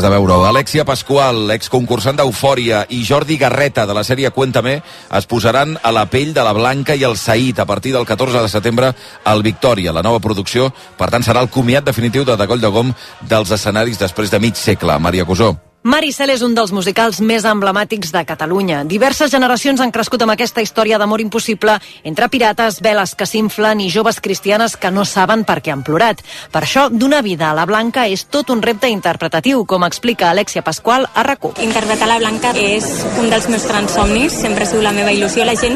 de veure-ho. Alexia Pascual, exconcursant d'Eufòria, i Jordi Garreta, de la sèrie Cuéntame, es posaran a la pell de la Blanca i el Saïd a partir del 14 de setembre al Victòria. La nova producció, per tant, serà el comiat definitiu de Coll de Gom dels escenaris després de mig segle. Maria Cusó. Maricel és un dels musicals més emblemàtics de Catalunya. Diverses generacions han crescut amb aquesta història d'amor impossible entre pirates, veles que s'inflen i joves cristianes que no saben per què han plorat. Per això, donar vida a la Blanca és tot un repte interpretatiu, com explica Alexia Pascual a RAC1. Interpretar la Blanca és un dels meus grans somnis, sempre ha sigut la meva il·lusió. La gent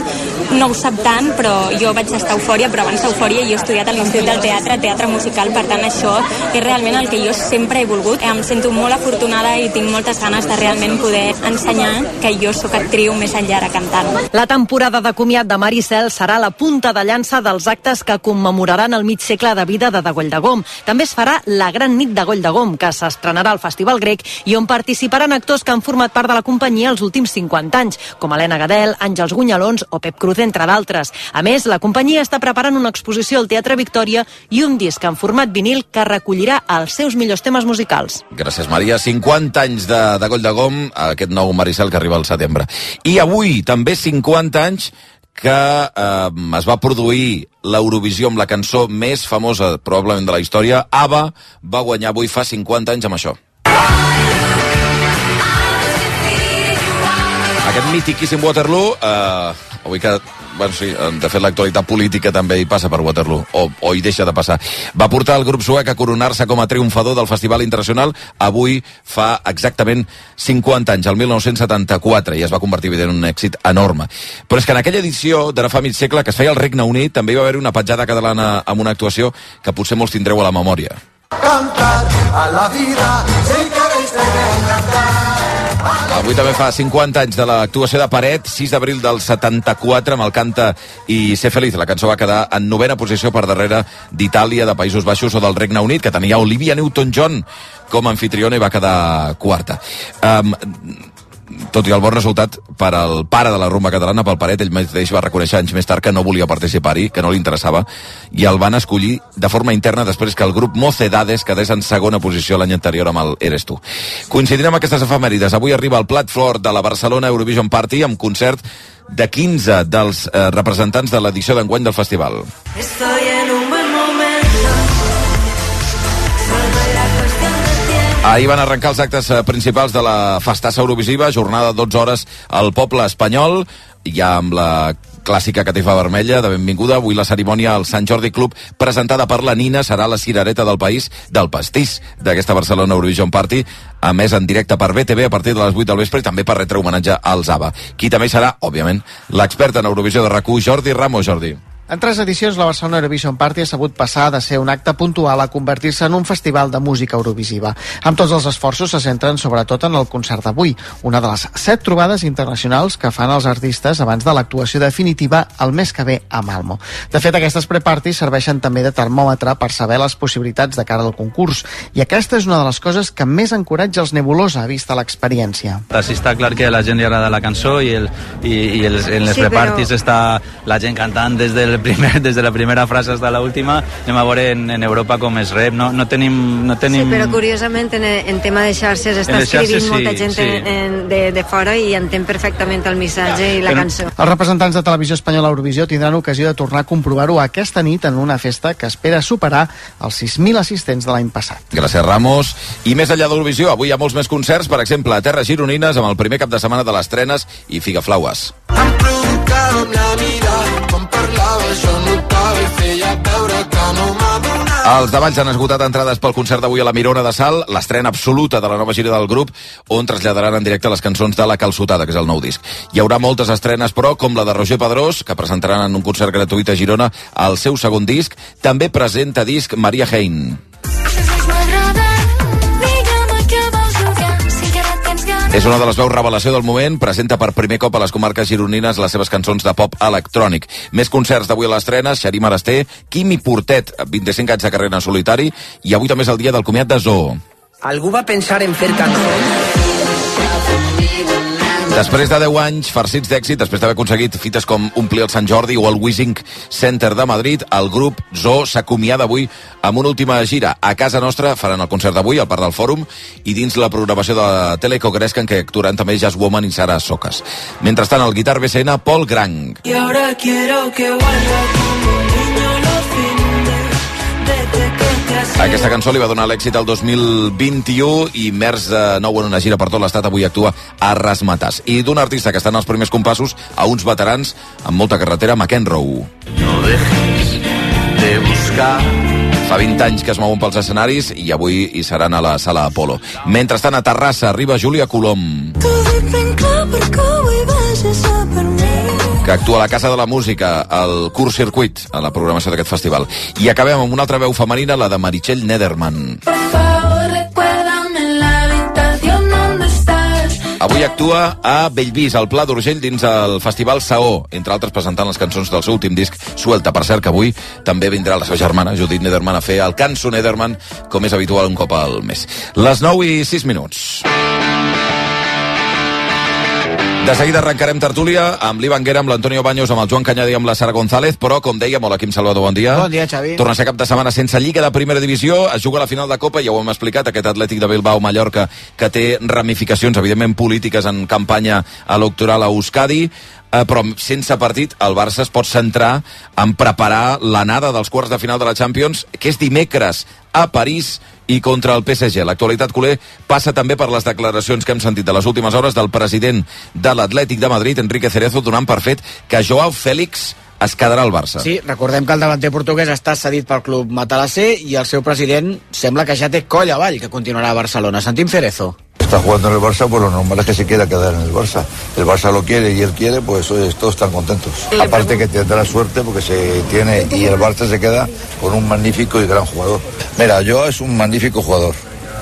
no ho sap tant, però jo vaig estar a Eufòria, però abans d'Eufòria jo he estudiat a l'Institut del Teatre musical, per tant això és realment el que jo sempre he volgut. Em sento molt afortunada i tinc moltes ganes de realment poder ensenyar que jo sóc actriu més enllà de cantant. La temporada de comiat de Maricel serà la punta de llança dels actes que commemoraran el mig segle de vida de Coll de Gom. També es farà la Gran Nit de Coll de Gom, que s'estrenarà al Festival Grec i on participaran actors que han format part de la companyia els últims 50 anys, com Helena Gadel, Àngels Gunyalons o Pep Cruz, entre d'altres. A més, la companyia està preparant una exposició al Teatre Victòria i un disc en format vinil que recollirà els seus millors temes musicals. Gràcies, Maria. 50 anys de Coll de Gom, aquest nou Maricel que arriba al setembre. I avui, també 50 anys que es va produir l'Eurovisió amb la cançó més famosa, probablement, de la història. ABBA va guanyar avui fa 50 anys amb això. Aquest mítiquíssim Waterloo, avui que, bueno, sí, de fet l'actualitat política també hi passa per Waterloo, o hi deixa de passar. Va portar el grup suec a coronar-se com a triomfador del Festival Internacional avui fa exactament 50 anys, el 1974, i es va convertir en un èxit enorme. Però és que en aquella edició d'ara fa mig segle, que es feia al Regne Unit, també hi va haver una petjada catalana amb una actuació que potser molts tindreu a la memòria. Cantar a la vida, si queréis cantar. Avui també fa 50 anys de l'actuació de Paret, 6 d'abril del 74, amb el Canta i Ser Feliz. La cançó va quedar en 9a posició per darrere d'Itàlia, de Països Baixos o del Regne Unit, que tenia Olivia Newton-John com a anfitriona i va quedar quarta. Tot i el bon resultat per al pare de la rumba catalana, pel Paret, ell mateix va reconèixer anys més tard que no volia participar-hi, que no li interessava, i el van escollir de forma interna després que el grup Mocedades quedés en segona posició l'any anterior amb el Eres tu. Coincidint amb aquestes efemèrides, avui arriba el plat fort de la Barcelona Eurovision Party amb concert de 15 dels representants de l'edició d'enguany del festival. Estoy en un buen momento. Ahir van arrencar els actes principals de la festassa eurovisiva, jornada de 12 hores al poble espanyol, ja amb la clàssica catifa vermella de benvinguda. Avui la cerimònia al Sant Jordi Club, presentada per la Nina, serà la cirereta del país, del pastís d'aquesta Barcelona Eurovision Party, a més en directe per BTV a partir de les 8 del vespre i també per retre homenatge als ABBA. Qui també serà, òbviament, l'expert en Eurovisió de RAC1, Jordi Ramos. Jordi. En 3 edicions, la Barcelona Eurovision Party ha sabut passar de ser un acte puntual a convertir-se en un festival de música eurovisiva. Amb tots els esforços se centren sobretot en el concert d'avui, una de les 7 trobades internacionals que fan els artistes abans de l'actuació definitiva el mes que ve a Malmo. De fet, aquestes pre-parties serveixen també de termòmetre per saber les possibilitats de cara al concurs, i aquesta és una de les coses que més encoratja els Nebulosa, vista l'experiència. Sí, està clar que a la gent li agrada la cançó i en les pre-parties està la gent cantant des de la primera frase hasta la última. Anem a veure en Europa com es rep, no tenim... Sí, però curiosament en tema de xarxes està escrivint molta gent de fora i entén perfectament el missatge i la cançó. Els representants de Televisió Espanyola Eurovisió tindran ocasió de tornar a comprovar-ho aquesta nit en una festa que espera superar els 6.000 assistents de l'any passat. Gràcies, Ramos. I més enllà d'Eurovisió, avui hi ha molts més concerts, per exemple, a Terres Gironines, amb el primer cap de setmana de les Trenes i Figaflaues. Em provocava amb la mirada, quan parlava jo notava i feia veure que no m'adonava. Els de Valls han esgotat entrades pel concert d'avui a la Mirona de Salt, l'estrena absoluta de la nova gira del grup, on traslladaran en directe les cançons de La Calçotada, que és el nou disc. Hi haurà moltes estrenes, però, com la de Roger Pedrós, que presentaran en un concert gratuït a Girona el seu segon disc. També presenta disc Maria Hein. És una de les veus revelació del moment, presenta per primer cop a les comarques gironines les seves cançons de pop electrònic. Més concerts d'avui a les Trenes, Xarí Marasté, Quimi Portet, 25 anys de carrera en solitari, i avui també és el dia del comiat de Zoo. Algú va pensar en fer cançons? Després de 10 anys farcits d'èxit, després d'haver aconseguit fites com omplir el Sant Jordi o el Wishing Center de Madrid, el grup Zoo s'acomiada avui amb una última gira. A casa nostra faran el concert d'avui al Parc del Fòrum i dins la programació de la Teleco Gresca, en què actuaran també Jazz Woman i Sara Socas. Mentrestant, el guitar BCN, Paul Grang. Y ahora quiero que vuelva como un niño los fines, desde que te has... Aquesta cançó li va donar l'èxit al 2021 i Merç, de nou en una gira per tot l'estat, avui actua a Razzmatazz. I d'un artista que està en els primers compassos a uns veterans amb molta carretera, McEnroe. No dejes de buscar. Fa 20 anys que es mouen pels escenaris i avui hi seran a la Sala Apolo. Mentrestant, a Terrassa arriba Júlia Colom, que actua a la Casa de la Música, al Curt Circuit, a la programació d'aquest festival. I acabem amb una altra veu femenina, la de Meritxell Nederman. Avui actua a Bellvís, al Pla d'Urgell, dins el Festival Saó, entre altres presentant les cançons del seu últim disc, Suelta. Per cert, que avui també vindrà la seva germana, Judit Nederman, a fer el Cançó Nederman, com és habitual un cop al mes. Les 9:06. De seguida arrencarem tertúlia amb l'Ivan Guerra, amb l'Antonio Baños, amb el Joan Cañada i amb la Sara González, però, com dèiem, hola, Quim Salvador, bon dia. Bon dia, Xavi. Torna a ser cap de setmana sense Lliga de Primera Divisió, es juga la final de Copa, ja ho hem explicat, aquest Atlètic de Bilbao-Mallorca, que té ramificacions, evidentment, polítiques en campanya electoral a Euskadi, però sense partit el Barça es pot centrar en preparar l'anada dels quarts de final de la Champions, que és dimecres a París i contra el PSG. L'actualitat culer passa també per les declaracions que hem sentit de les últimes hores del president de l'Atlètic de Madrid, Enrique Cerezo, donant per fet que Joao Félix es quedarà al Barça. Sí, recordem que el davanter portuguès està cedit pel club matalasser i el seu president sembla que ja té coll avall que continuarà a Barcelona. Sentim Cerezo. Está jugando en el Barça, pues lo normal es que se quiera quedar en el Barça. El Barça lo quiere y él quiere, pues todos están contentos. Aparte que tendrá suerte porque se tiene y el Barça se queda con un magnífico y gran jugador. Mira, Joao es un magnífico jugador.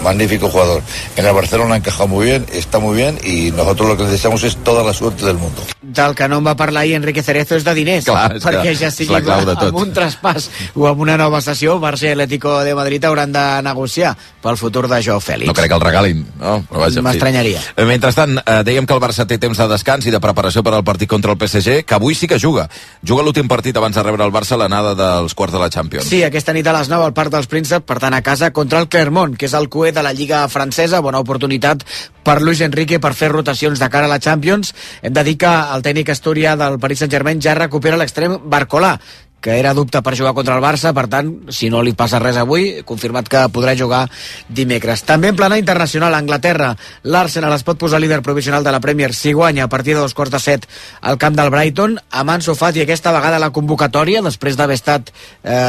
Magnífico jugador. En el Barcelona encaja muy bien, está muy bien y nosotros lo que deseamos es toda la suerte del mundo. Del que no en va parlar ahir Enrique Cerezo és de diners, clar, perquè ja sigui amb un traspàs o amb una nova sessió, Barça i Atlético de Madrid hauran de negociar pel futur de Joao Félix. No crec que el regalin, no? M'estranyaria. Mentrestant, dèiem que el Barça té temps de descans i de preparació per al partit contra el PSG, que avui sí que juga. Juga l'últim partit abans de rebre el Barça l'anada dels quarts de la Champions. Sí, aquesta nit a les 9 al Parc dels Prínceps, per tant a casa contra el Clermont, que és el cué de la Lliga francesa. Bona oportunitat per Luis Enrique per fer rotacions de cara a la Champions. Hem de dir que el tècnic asturià del Paris Saint-Germain ja recupera l'extrem Barcolà, que era dubte per jugar contra el Barça, per tant, si no li passa res avui, confirmat que podrà jugar dimecres. També en plana internacional, a Anglaterra, l'Arsenal es pot posar líder provisional de la Premier si guanya a partir de 2:15 al camp del Brighton, amb Ansu Fati aquesta vegada la convocatòria, després d'haver estat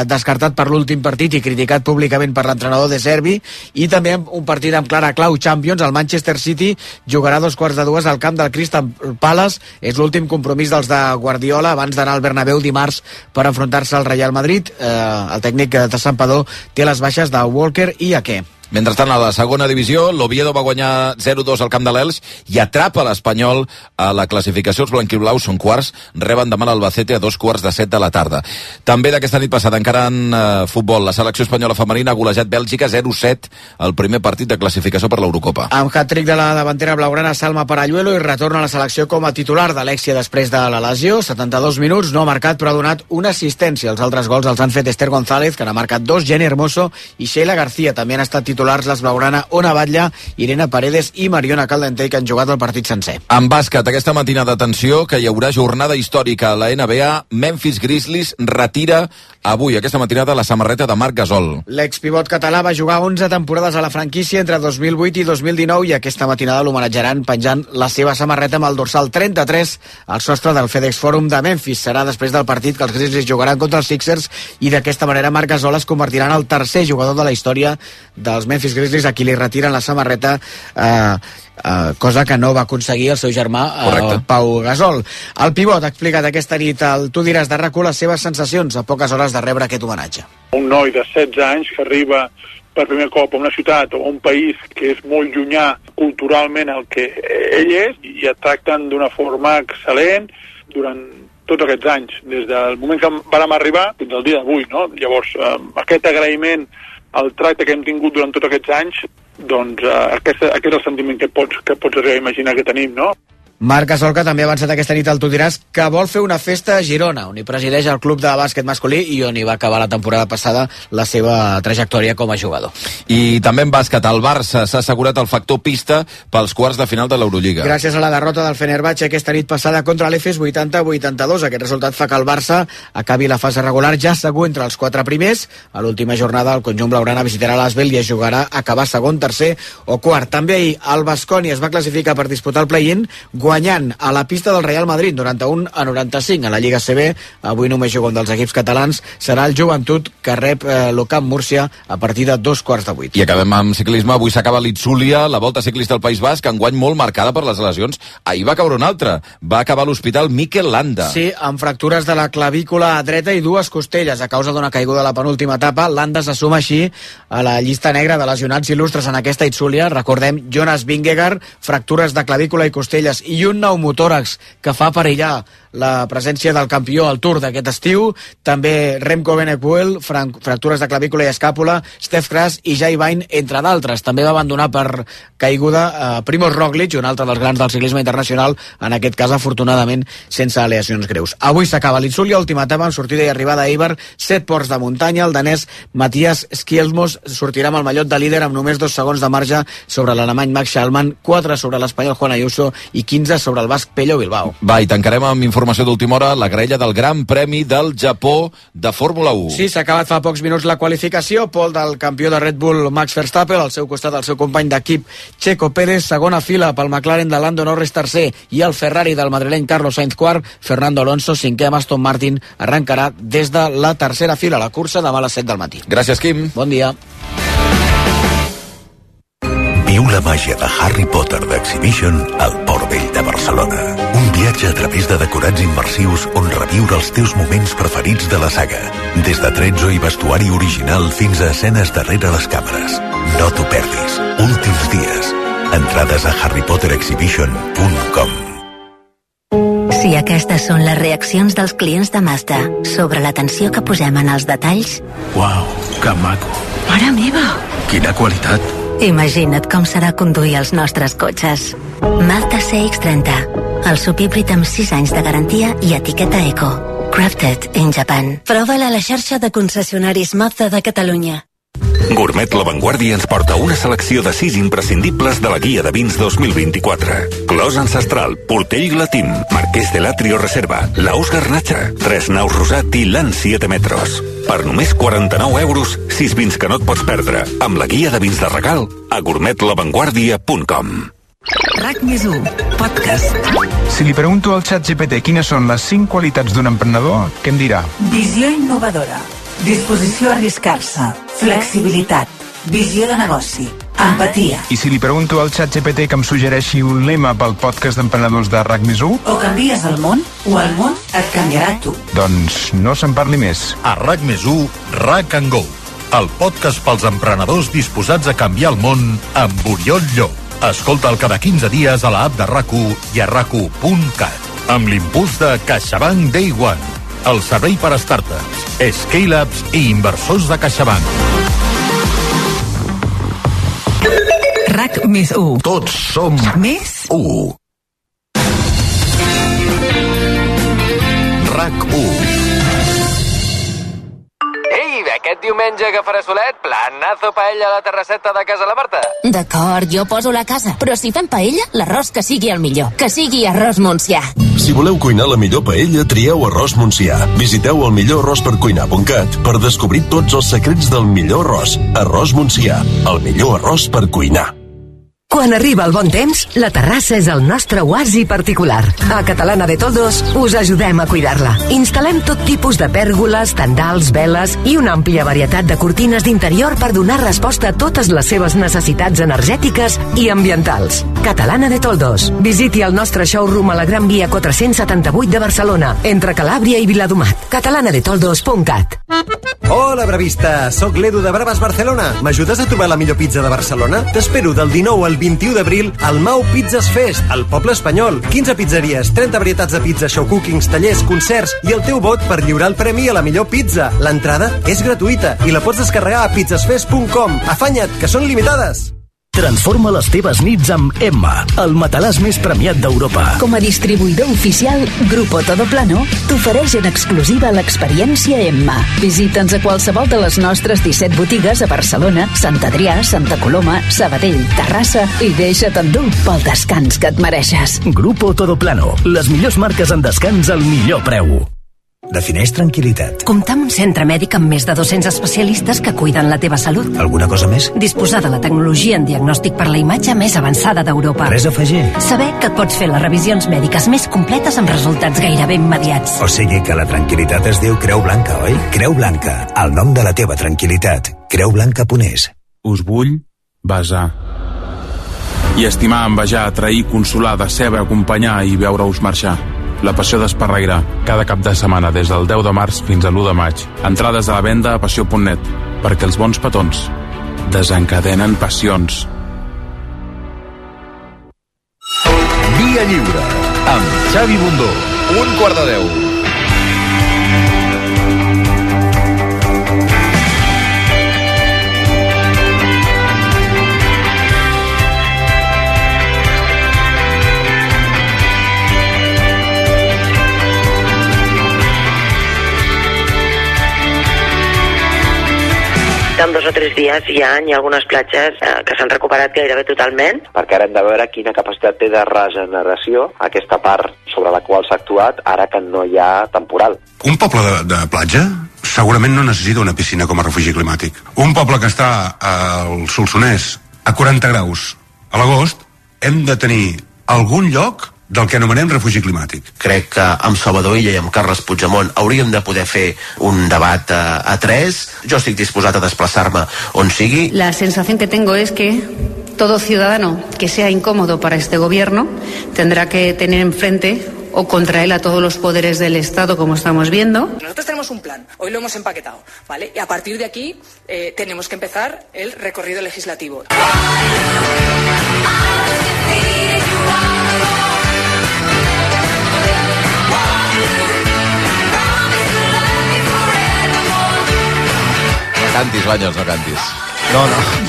descartat per l'últim partit i criticat públicament per l'entrenador de Servi, i també un partit amb clara clau Champions, el Manchester City jugarà a 2:15 al camp del Crystal Palace, és l'últim compromís dels de Guardiola abans d'anar al Bernabéu dimarts per enfrontar al Real Madrid. El tècnic de Santpedor té les baixes de Walker i Ake. Mentrestant, a la segona divisió, l'Oviedo va guanyar 0-2 al camp de l'Elx i atrapa l'Espanyol a la classificació. Els blanquiblaus són quarts, reben demà l'Albacete a 2:15 de la tarda. També d'aquesta nit passada, encara en futbol, la selecció espanyola femenina ha golejat Bèlgica 0-7 al primer partit de classificació per l'Eurocopa. Amb hat-trick de la davantera blaugrana Salma Paralluelo i retorna a la selecció com a titular d'Alexia després de la lesió. 72 minuts, no ha marcat però ha donat una assistència. Els altres gols els han fet Esther González, que n'ha marcat 2, Jenny Hermoso i Sheila García. També han estat titulars les blaugrana Ona Batlle, Irene Paredes i Mariona Caldentey, que han jugat el partit sencer. En bàsquet, aquesta matinada, atenció, que hi haurà jornada històrica a la NBA. Memphis Grizzlies retira avui, aquesta matinada, la samarreta de Marc Gasol. L'expivot català va jugar 11 temporades a la franquícia entre 2008 i 2019 i aquesta matinada l'homenatjaran penjant la seva samarreta amb el dorsal 33 al sostre del FedEx Forum de Memphis. Serà després del partit que els Grizzlies jugaran contra els Sixers i d'aquesta manera Marc Gasol es convertirà en el tercer jugador de la història dels Memphis Grizzlies a qui li retiren la samarreta, cosa que no va aconseguir el seu germà Pau Gasol. El pivot ha explicat aquesta nit al Tu diràs de RAC1 les seves sensacions a poques hores de rebre aquest homenatge. Un noi de 16 anys que arriba per primer cop a una ciutat o a un país que és molt llunyà culturalment el que ell és i et tracten d'una forma excel·lent durant tots aquests anys, des del moment que vam arribar fins al dia d'avui, no? Llavors, aquest agraïment al tracte que hem tingut durant tots aquests anys, doncs aquest és el sentiment que pots arribar a imaginar que tenim, no? Marc Gasol, que també ha avançat aquesta nit al Tu diràs, que vol fer una festa a Girona, on hi presideix el club de bàsquet masculí i on hi va acabar la temporada passada la seva trajectòria com a jugador. I també en bàsquet, el Barça s'ha assegurat el factor pista pels quarts de final de l'Eurolliga. Gràcies a la derrota del Fenerbahçe aquesta nit passada contra l'Efes 80-82. Aquest resultat fa que el Barça acabi la fase regular ja segur entre els 4 primers. A l'última jornada el conjunt blaugrana visitarà l'Asvel i es jugarà a acabar segon, tercer o quart. També ahir el Baskonia es va classificar per disputar el play-in guanyant a la pista del Real Madrid 91-95 a la Lliga CB. Avui només juga un dels equips catalans, serà el Joventut, que rep l'Ocamp Múrcia a partir de 7:45. I acabem amb ciclisme. Avui s'acaba l'Itzulia, la Volta Ciclista al País Basc, enguany molt marcada per les lesions. Ahir va caure una altra. Va acabar a l'hospital Mikel Landa. Sí, amb fractures de la clavícula dreta i 2 costelles a causa d'una caiguda a la penúltima etapa. Landa se suma així a la llista negra de lesionats il·lustres en aquesta Itzulia. Recordem, Jonas Vingegaard, fractures de clavícula i costelles i un pneumotòrax que fa perillar la presència del campió al Tour d'aquest estiu. També Remco Evenepoel, fractures de clavícula i escàpula, Stef Kras i Jai Vine, entre d'altres. També va abandonar per caiguda Primož Roglic, un altre dels grans del ciclisme internacional, en aquest cas afortunadament sense aleacions greus. Avui s'acaba l'Itzulia, última etapa amb sortida i arribada a Eibar, 7 ports de muntanya. El danès Matthias Skjelmos sortirà amb el mallot de líder amb només 2 segons de marge sobre l'alemany Max Schallmann, 4 sobre l'espanyol Juan Ayuso i 15 sobre el basc Pello Bilbao. Va, i tancarem amb informació d'última hora, la graella del Gran Premi del Japó de Fórmula 1. Sí, s'ha acabat fa pocs minuts la qualificació. Pol del campió de Red Bull Max Verstappen, al seu costat el seu company d'equip Checo Pérez, segona fila pel McLaren de Lando Norris, tercer, i el Ferrari del madrileny Carlos Sainz, quart. Fernando Alonso, cinquè, amb Aston Martin, arrencarà des de la tercera fila la cursa demà a les 7 del matí. Gràcies, Quim. Bon dia. Viu la màgia de Harry Potter d'Exhibition al Port Vell de Barcelona. Un viatge a través de decorats immersius on reviure els teus moments preferits de la saga. Des de tretzo i vestuari original fins a escenes darrere les càmeres. No t'ho perdis. Últims dies. Entrades a harrypotterexhibition.com. Si aquestes són les reaccions dels clients de Mazda sobre l'atenció que posem en els detalls... Uau, que maco. Mare meva! Quina qualitat. Imagina't com serà conduir els nostres cotxes. Mazda CX-30, el subhíbrid amb 6 anys de garantia i etiqueta Eco. Crafted in Japan. Prova-la a la xarxa de concessionaris Mazda de Catalunya. Gourmet La Vanguardia ens porta una selecció de 6 imprescindibles de la guia de vins 2024. Clos Ancestral, Portell Glatín, Marqués de l'Atrio Reserva, Laus Garnacha, Tres Naus Rosat i l'An 7 Metros. Per només 49 euros, 6 vins que no et pots perdre, amb la guia de vins de regal a gourmetlavanguardia.com. RAC+1, podcast. Si li pregunto al ChatGPT quines són les 5 qualitats d'un emprenedor, què em dirà? Visió innovadora, disposició a arriscar-se, flexibilitat, visió de negoci, empatia. I si li pregunto al ChatGPT que em suggereixi un lema pel podcast d'emprenedors de RAC+1? O canvies el món, o el món et canviarà tu. Doncs no se'n parli més. A RAC+1, RAC & Go, el podcast pels emprenedors disposats a canviar el món amb Oriol Llop. Escolta'l cada 15 dies a l'app de RAC1 i a RAC1.cat. Amb l'impuls de CaixaBank Day One, el servei per a startups, scale-ups i inversors de CaixaBank. RAC+1. Tots som més 1. RAC1. Aquest diumenge que farà solet, planazo paella a la terrasseta de casa la Marta. D'acord, jo poso la casa, però si fem paella, l'arròs que sigui el millor. Que sigui arròs Montsià. Si voleu cuinar la millor paella, trieu arròs Montsià. Visiteu el millorarròspercuinar.cat per descobrir tots els secrets del millor arròs. Arròs Montsià, el millor arròs per cuinar. Quan arriba el bon temps, la terrassa és el nostre oasi particular. A Catalana de Toldos us ajudem a cuidar-la. Instal·lem tot tipus de pèrgoles, tendals, veles i una àmplia varietat de cortines d'interior per donar resposta a totes les seves necessitats energètiques i ambientals. Catalana de Toldos. Visiti el nostre showroom a la Gran Via 478 de Barcelona, entre Calàbria i Viladomat. catalanadetoldos.cat. Hola, bravista! Soc l'Edu de Braves Barcelona. M'ajudes a trobar la millor pizza de Barcelona? T'espero del 19 al 21 d'abril al Mau Pizzas Fest, al poble espanyol. 15 pizzeries, 30 varietats de pizza, show cookings, tallers, concerts i el teu vot per lliurar el premi a la millor pizza. L'entrada és gratuïta i la pots descarregar a pizzasfest.com. Afanya't, que són limitades! Transforma les teves nits amb Emma, el matalàs més premiat d'Europa. Com a distribuïdor oficial, Grupo Todoplano t'ofereix en exclusiva l'experiència Emma. Visita'ns a qualsevol de les nostres 17 botigues a Barcelona, Sant Adrià, Santa Coloma, Sabadell, Terrassa i deixa't endur pel descans que et mereixes. Grupo Todoplano, les millors marques en descans al millor preu. Defineix tranquil·litat. Comptar amb un centre mèdic amb més de 200 especialistes que cuiden la teva salut. Alguna cosa més? Disposar de la tecnologia en diagnòstic per la imatge més avançada d'Europa. Res a afegir. Saber que et pots fer les revisions mèdiques més completes amb resultats gairebé immediats. O sigui que la tranquil·litat es diu Creu Blanca, oi? Creu Blanca, el nom de la teva tranquil·litat. Creublanca.es. Us vull besar. I estimar, envejar, atrair, consolar, decebre, acompanyar i veure-us marxar. La passió d'Esparreguera, cada cap de setmana des del 10 de març fins a l'1 de maig. Entrades a la venda a passió.net, perquè els bons petons desencadenen passions. Via Lliure, amb Xavi Bundó. 1:45. En 2 o 3 dies hi ha algunes platges que s'han recuperat gairebé totalment. Perquè ara hem de veure quina capacitat té de regeneració aquesta part sobre la qual s'ha actuat ara que no hi ha temporal. Un poble de platja segurament no necessita una piscina com a refugi climàtic. Un poble que està al Solsonès a 40 graus a l'agost hem de tenir algun lloc del que anomenem refugi climàtic. Crec que amb Salvador Illa i amb Carles Puigdemont hauríem de poder fer un debat a 3. Jo estic disposat a desplaçar-me on sigui. La sensación que tengo es que todo ciudadano que sea incómodo para este gobierno tendrá que tener enfrente o contra él a todos los poderes del Estado, como estamos viendo. Nosotros tenemos un plan, hoy lo hemos empaquetado, ¿vale? Y a partir de aquí tenemos que empezar el recorrido legislativo. Cantis, Banyos, no cantis. No.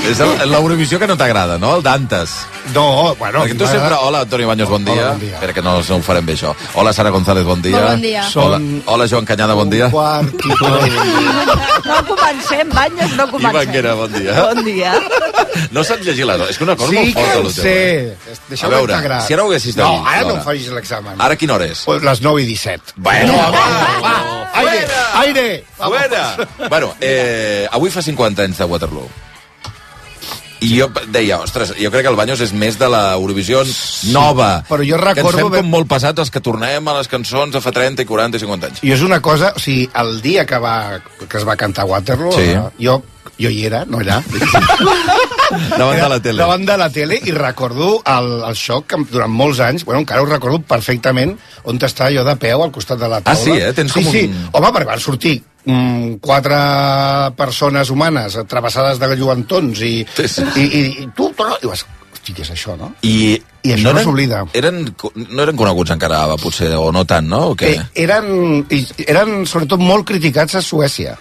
És l'Eurovisió que no t'agrada, no? El Dantes. No, bueno... Perquè tu sempre... Hola, Antonio Baños, bon dia. Hola, bon dia. Espera que no ho farem bé, això. Hola, Sara González, bon dia. Bon dia. Hola, Joan Canyada, bon dia. No comencem, Banyos, no comencem. I Banquera, bon dia. Bon dia. No saps llegir les... És que una cosa molt forta, l'hotel. Sí, que A veure, si ara ho haguessis de dir... No, ara no em facis l'examen. Ara quina hora és? Pues les 9:17. Bueno, va, aire! Fuera! Bueno, avui fa 50 anys de Waterloo. I jo deia, ostres, jo crec que el Banyos és més de l'Eurovisió nova. Però jo recordo... Que ens fem com molt passats els que tornem a les cançons de fa 30 i 40 i 50 anys. I és una cosa, o sigui, el dia que es va cantar Waterloo, sí. Jo hi era, no allà. Davant de la tele. Davant de la tele, i recordo el xoc que durant molts anys, bueno, encara ho recordo perfectament, on estava jo de peu al costat de la taula. Ah, sí, Tens com un... Home, perquè van sortir 4 persones humanes travessades de lluentons i tu i vas, hosti, què és això, no? I això no s'oblida. No eren coneguts encara, potser, o no tant, no? O què? Eren sobretot molt criticats a Suècia.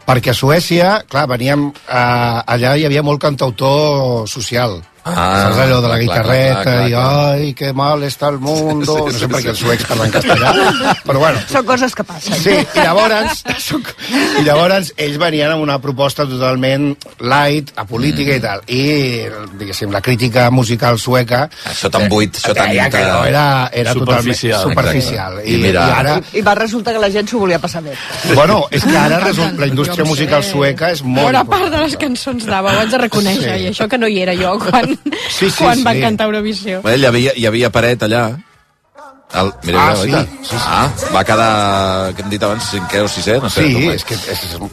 Perquè a Suècia, clar, veníem... allà hi havia molt cantautor social. Saps allò de la guitarreta i ai, que mal està el mundo... No sé per què els suecs parlen castellà, però bueno. Són coses que passen. Sí, i llavors ells venien amb una proposta totalment light, apolítica i tal. I, diguéssim, la crítica musical sueca... Això tan buit, això tan... que no, era totalment superficial. I va resultar que la gent s'ho volia passar bé. Bueno, és que ara la indústria musical sueca és molt... Bona part de les cançons d'Ava, ho haig de reconèixer, i això que no hi era jo quan van cantar Eurovisió. Hi havia paret allà. Va quedar, que hem dit abans, 5è o 6è, no sé. Sí, és que...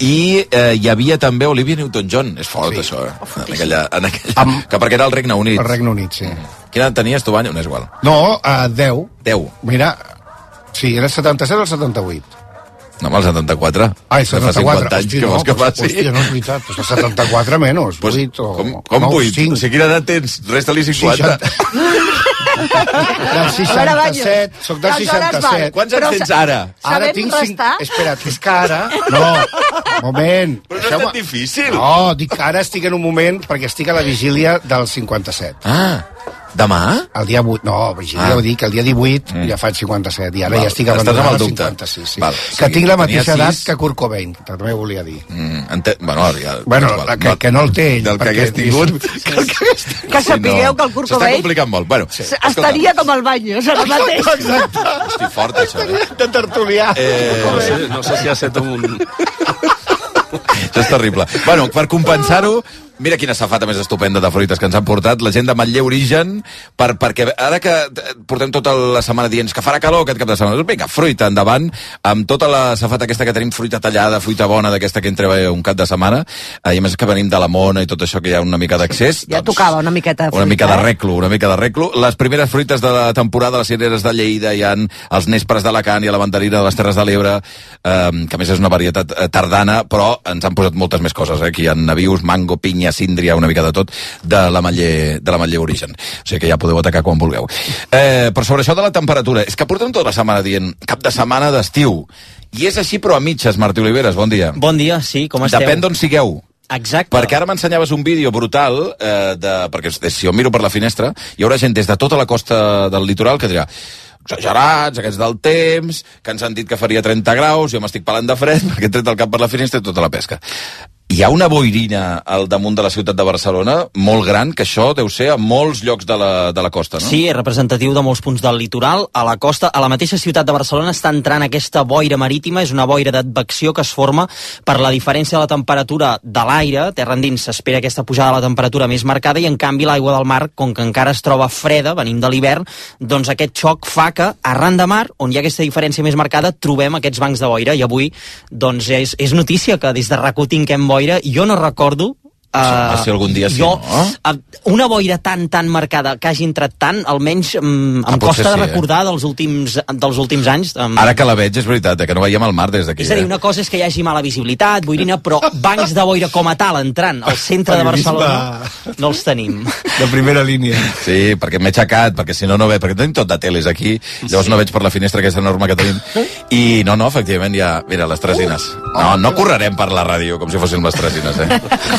I hi havia també Olivia Newton-John. És fort, això, que perquè era el Regne Unit. El Regne Unit, sí. Quina edat tenies tu, Banyo? No és igual. No, 10. 10. Mira, sí, era el 77 o el 78. No, amb el 74. Ai, 74. Fa 50 anys, que vols que faci? Hòstia, no és veritat. Pues el 74 menys, 8 o... Com 8? O sigui, quina edat tens? Resta-li 50. Del 67, soc del 67. Quants anys tens ara? Ara tinc 5... Espera't, és que ara... No, moment. Però no és tan difícil. No, dic que ara estic en un moment perquè estic a la vigília del 57. Demà? El dia 8, no, vigília ho dic, el dia 18 ja faig 57, i ara ja estic abandonant el 56. Sí. Que tinc la mateixa edat que Kurt Cobain, que també volia dir. Que no el té ell. Del que hagués tingut. Que sapigueu que el Kurt Cobain... S'està complicant molt. Bueno, estaria com el Baños, ara mateix. Exacte. Hosti, fort, això. De tertulià. No sé si ha set un... Això és terrible. Bueno, per compensar-ho, mira quina safata més estupenda de fruites que ens han portat la gent de Manlleu Origen, perquè ara que portem tota la setmana dient que farà calor aquest cap de setmana, vinga, fruita endavant, amb tota la safata aquesta que tenim, fruita tallada, fruita bona d'aquesta que entra un cap de setmana, i a més que venim de la Mona i tot això que hi ha una mica d'accés. Ja tocava una miqueta de fruita. Una mica de reclo. Les primeres fruites de la temporada, les cireres de Lleida, hi ha els nespres d'Alacant i la mandarina de les Terres de l'Ebre, que a més és una varietat tardana, però ens han posat moltes més coses, Aquí hi ha navius, mango, pinya, síndria, una mica de tot, de la Manlleu Origen. O sigui que ja podeu atacar quan vulgueu. Però sobre això de la temperatura, és que portem tota la setmana dient cap de setmana d'estiu. I és així, però a mitges, Martí Oliveres, bon dia. Bon dia, sí, com esteu? Depèn d'on sigueu. Exacte. Perquè ara m'ensenyaves un vídeo brutal, perquè si jo miro per la finestra, hi haurà gent des de tota la costa del litoral que dirà exagerats, aquests del temps, que ens han dit que faria 30 graus, jo m'estic pelant de fred perquè he tret el cap per la finestra i tota la pesca. Hi ha una boirina al damunt de la ciutat de Barcelona molt gran, que això deu ser a molts llocs de la costa, no? Sí, és representatiu de molts punts del litoral. A la costa, a la mateixa ciutat de Barcelona està entrant aquesta boira marítima, és una boira d'advecció que es forma per la diferència de la temperatura de l'aire, terra endins s'espera aquesta pujada de la temperatura més marcada, i en canvi l'aigua del mar, com que encara es troba freda, venint de l'hivern, doncs aquest xoc fa que arran de mar, on hi ha aquesta diferència més marcada, trobem aquests bancs de boira, i avui doncs és notícia que des de RAC1 tinguem boira. Jo no recordo si algun dia sí, no? Una boira tan marcada que hagi entrat tant, almenys em costa de recordar dels últims anys. Ara que la veig, és veritat, que no veiem el mar des d'aquí. És a dir, una cosa és que hi hagi mala visibilitat, boirina, però bancs de boira com a tal entrant al centre de Barcelona no els tenim. De primera línia. Sí, perquè m'he aixecat, perquè si no veig, perquè tenim tot de teles aquí, llavors no veig per la finestra aquesta enorme que tenim. I no, efectivament, ja... Mira, les tresines. No correrem per la ràdio com si fossin les tresines, de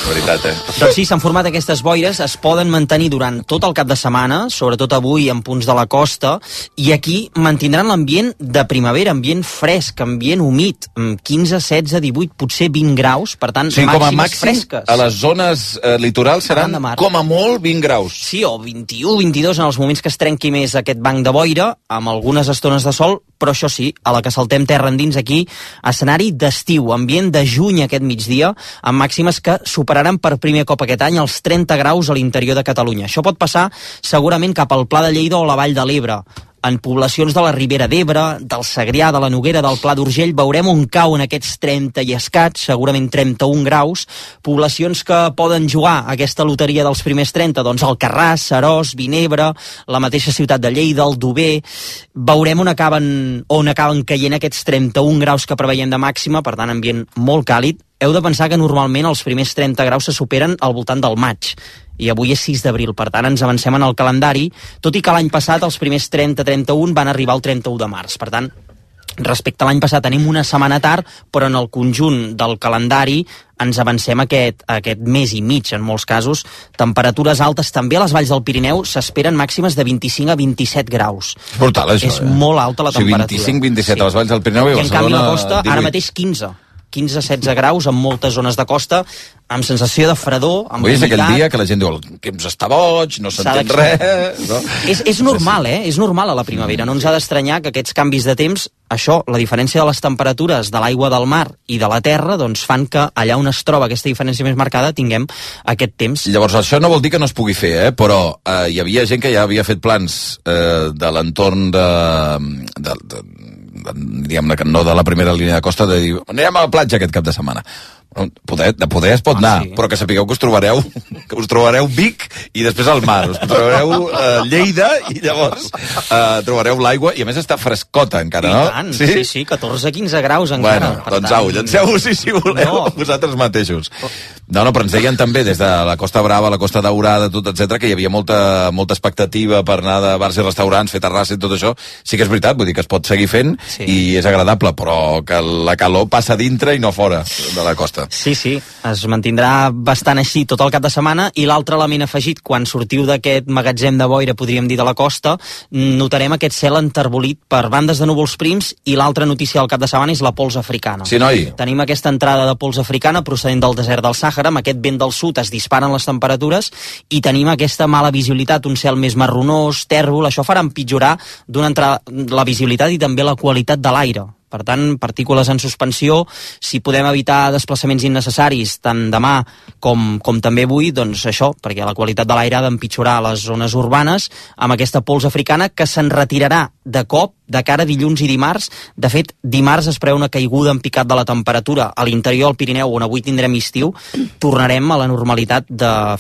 veritat. Doncs sí, s'han format aquestes boires, es poden mantenir durant tot el cap de setmana, sobretot avui en punts de la costa, i aquí mantindran l'ambient de primavera, ambient fresc, ambient humit, 15, 16, 18, potser 20 graus, per tant, màximes fresques. A les zones litorals seran com a molt 20 graus. Sí, o 21, 22 en els moments que es trenqui més aquest banc de boira, amb algunes estones de sol, però això sí, a la que saltem terra endins aquí, escenari d'estiu, ambient de juny aquest migdia, amb màximes que superaran per primer cop aquest any els 30 graus a l'interior de Catalunya. Això pot passar segurament cap al Pla de Lleida o la Vall de l'Ebre. En poblacions de la Ribera d'Ebre, del Segrià, de la Noguera, del Pla d'Urgell, veurem on cauen aquests 30 i escaig, segurament 31 graus. Poblacions que poden jugar a aquesta loteria dels primers 30, doncs Alcarràs, Seròs, Vinebre, la mateixa ciutat de Lleida, el Dober. Veurem on acaben caient aquests 31 graus que preveiem de màxima, per tant, ambient molt càlid. Heu de pensar que normalment els primers 30 graus se superen al voltant del maig, i avui és 6 d'abril, per tant ens avancem en el calendari, tot i que l'any passat els primers 30-31 van arribar al 31 de març, per tant, respecte a l'any passat tenim una setmana tard, però en el conjunt del calendari ens avancem aquest mes i mig, en molts casos. Temperatures altes també a les valls del Pirineu, s'esperen màximes de 25 a 27 graus. És brutal, això, És molt alta la temperatura. 25-27 a les valls del Pirineu i en canvi a la costa, ara mateix 15-16 graus en moltes zones de costa, amb sensació de fredor, amb humitat. És aquell dia que la gent diu el temps està boig, no s'entén res. No? És normal, És normal a la primavera. No ens ha d'estranyar que aquests canvis de temps, això, la diferència de les temperatures de l'aigua del mar i de la terra, doncs fan que allà on es troba aquesta diferència més marcada tinguem aquest temps. Llavors, això no vol dir que no es pugui fer, però hi havia gent que ja havia fet plans de l'entorn diguem-ne que no de la primera línia de costa, de dir, anirem a la platja aquest cap de setmana. De poder es pot anar, però que sapigueu que us trobareu Vic i després al mar, us trobareu Lleida i llavors trobareu l'aigua i a més està frescota encara, no? I tant, sí, 14-15 graus encara. Bueno, doncs au, llanceu-vos si voleu vosaltres mateixos. No, però ens deien també des de la Costa Brava, la Costa Daurada, tot, etc, que hi havia molta expectativa per anar de bars i restaurants, fer terrassa i tot això. Sí que és veritat, vull dir que es pot seguir fent i és agradable, però que la calor passa dintre i no fora de la costa. Sí, es mantindrà bastant així tot el cap de setmana i l'altre element afegit, quan sortiu d'aquest magatzem de boira, podríem dir, de la costa, notarem aquest cel enterbolit per bandes de núvols prims i l'altra notícia del cap de setmana és la pols africana. Sí, noi? Tenim aquesta entrada de pols africana procedent del desert del Sàhara, amb aquest vent del sud es disparen les temperatures i tenim aquesta mala visibilitat, un cel més marronós, tèrbol, això farà empitjorar d'una entrada la visibilitat i també la qualitat de l'aire. Per tant, partícules en suspensió, si podem evitar desplaçaments innecessaris tant demà com també avui, doncs això, perquè la qualitat de l'aire ha d'empitjorar a les zones urbanes amb aquesta pols africana que se'n retirarà de cop de cara a dilluns i dimarts. De fet, dimarts es preveu una caiguda en picat de la temperatura a l'interior del Pirineu, on avui tindrem estiu, tornarem a la normalitat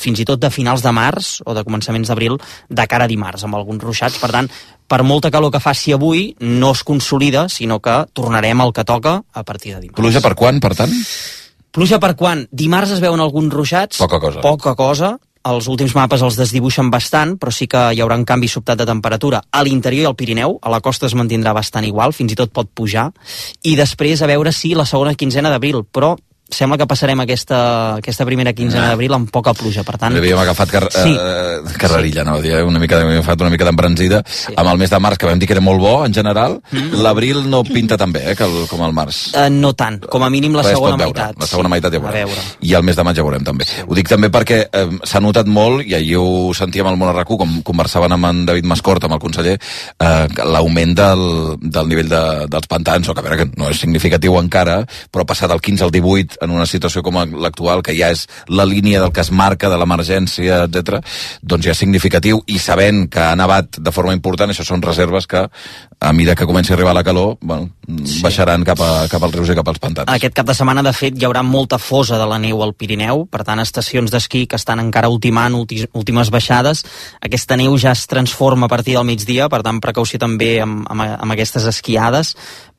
fins i tot de finals de març o de començaments d'abril de cara a dimarts, amb alguns ruixats. Per tant, per molta calor que faci avui, no es consolida, sinó que tornarem al que toca a partir de dimarts. Pluja per quan, per tant? Pluja per quan? Dimarts es veuen alguns ruixats. Poca cosa. Els últims mapes els desdibuixen bastant, però sí que hi haurà un canvi sobtat de temperatura a l'interior i al Pirineu. A la costa es mantindrà bastant igual, fins i tot pot pujar. I després a veure si la segona quinzena d'abril, però sembla que passarem aquesta primera quinzena d'abril amb poca pluja, per tant... Havíem agafat carrerilla, no? Una mica d'embranzida. Amb el mes de març, que vam dir que era molt bo, en general, l'abril no pinta tan bé, com el març. No tant, com a mínim la segona meitat. La segona meitat ja veurem. I el mes de maig ja veurem, també. Ho dic també perquè s'ha notat molt, i ahir ho sentíem al Món a RAC1, com conversaven amb en David Mascort, amb el conseller, l'augment del nivell dels pantans, o que a veure, que no és significatiu encara, però passar del 15 al 18 en una situació com l'actual, que ja és la línia del que es marca, de l'emergència, etc., doncs ja és significatiu, i sabent que ha nevat de forma important, això són reserves que, a mesura que comenci a arribar la calor, baixaran cap als rius i cap als pantans. Aquest cap de setmana, de fet, hi haurà molta fosa de la neu al Pirineu, per tant, estacions d'esquí que estan encara ultimant últimes baixades. Aquesta neu ja es transforma a partir del migdia, per tant, precaució també amb aquestes esquiades,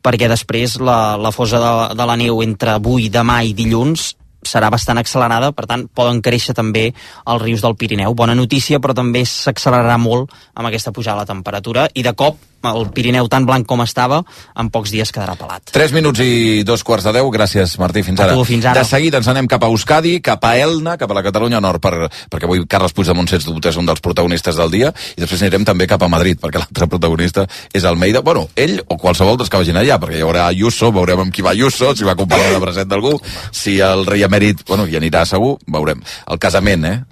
perquè després la fosa de la neu entre avui, demà i dilluns serà bastant accelerada, per tant, poden créixer també els rius del Pirineu. Bona notícia, però també s'accelerarà molt amb aquesta pujada de la temperatura, i de cop el Pirineu tan blanc com estava, en pocs dies quedarà pelat. 3 minuts i 2:15. Gràcies, Martí. Fins ara. A tu, fins ara. De seguida ens anem cap a Euskadi, cap a Elna, cap a la Catalunya Nord, perquè avui Carles Puigdemont, sens dubte, és un dels protagonistes del dia, i després anirem també cap a Madrid, perquè l'altre protagonista és Almeida. Bueno, ell o qualsevol dels que vagin allà, perquè hi haurà Ayuso, veurem amb qui va Ayuso, si va acompanyar de present d'algú, si el rei emèrit, hi anirà segur, veurem. El casament,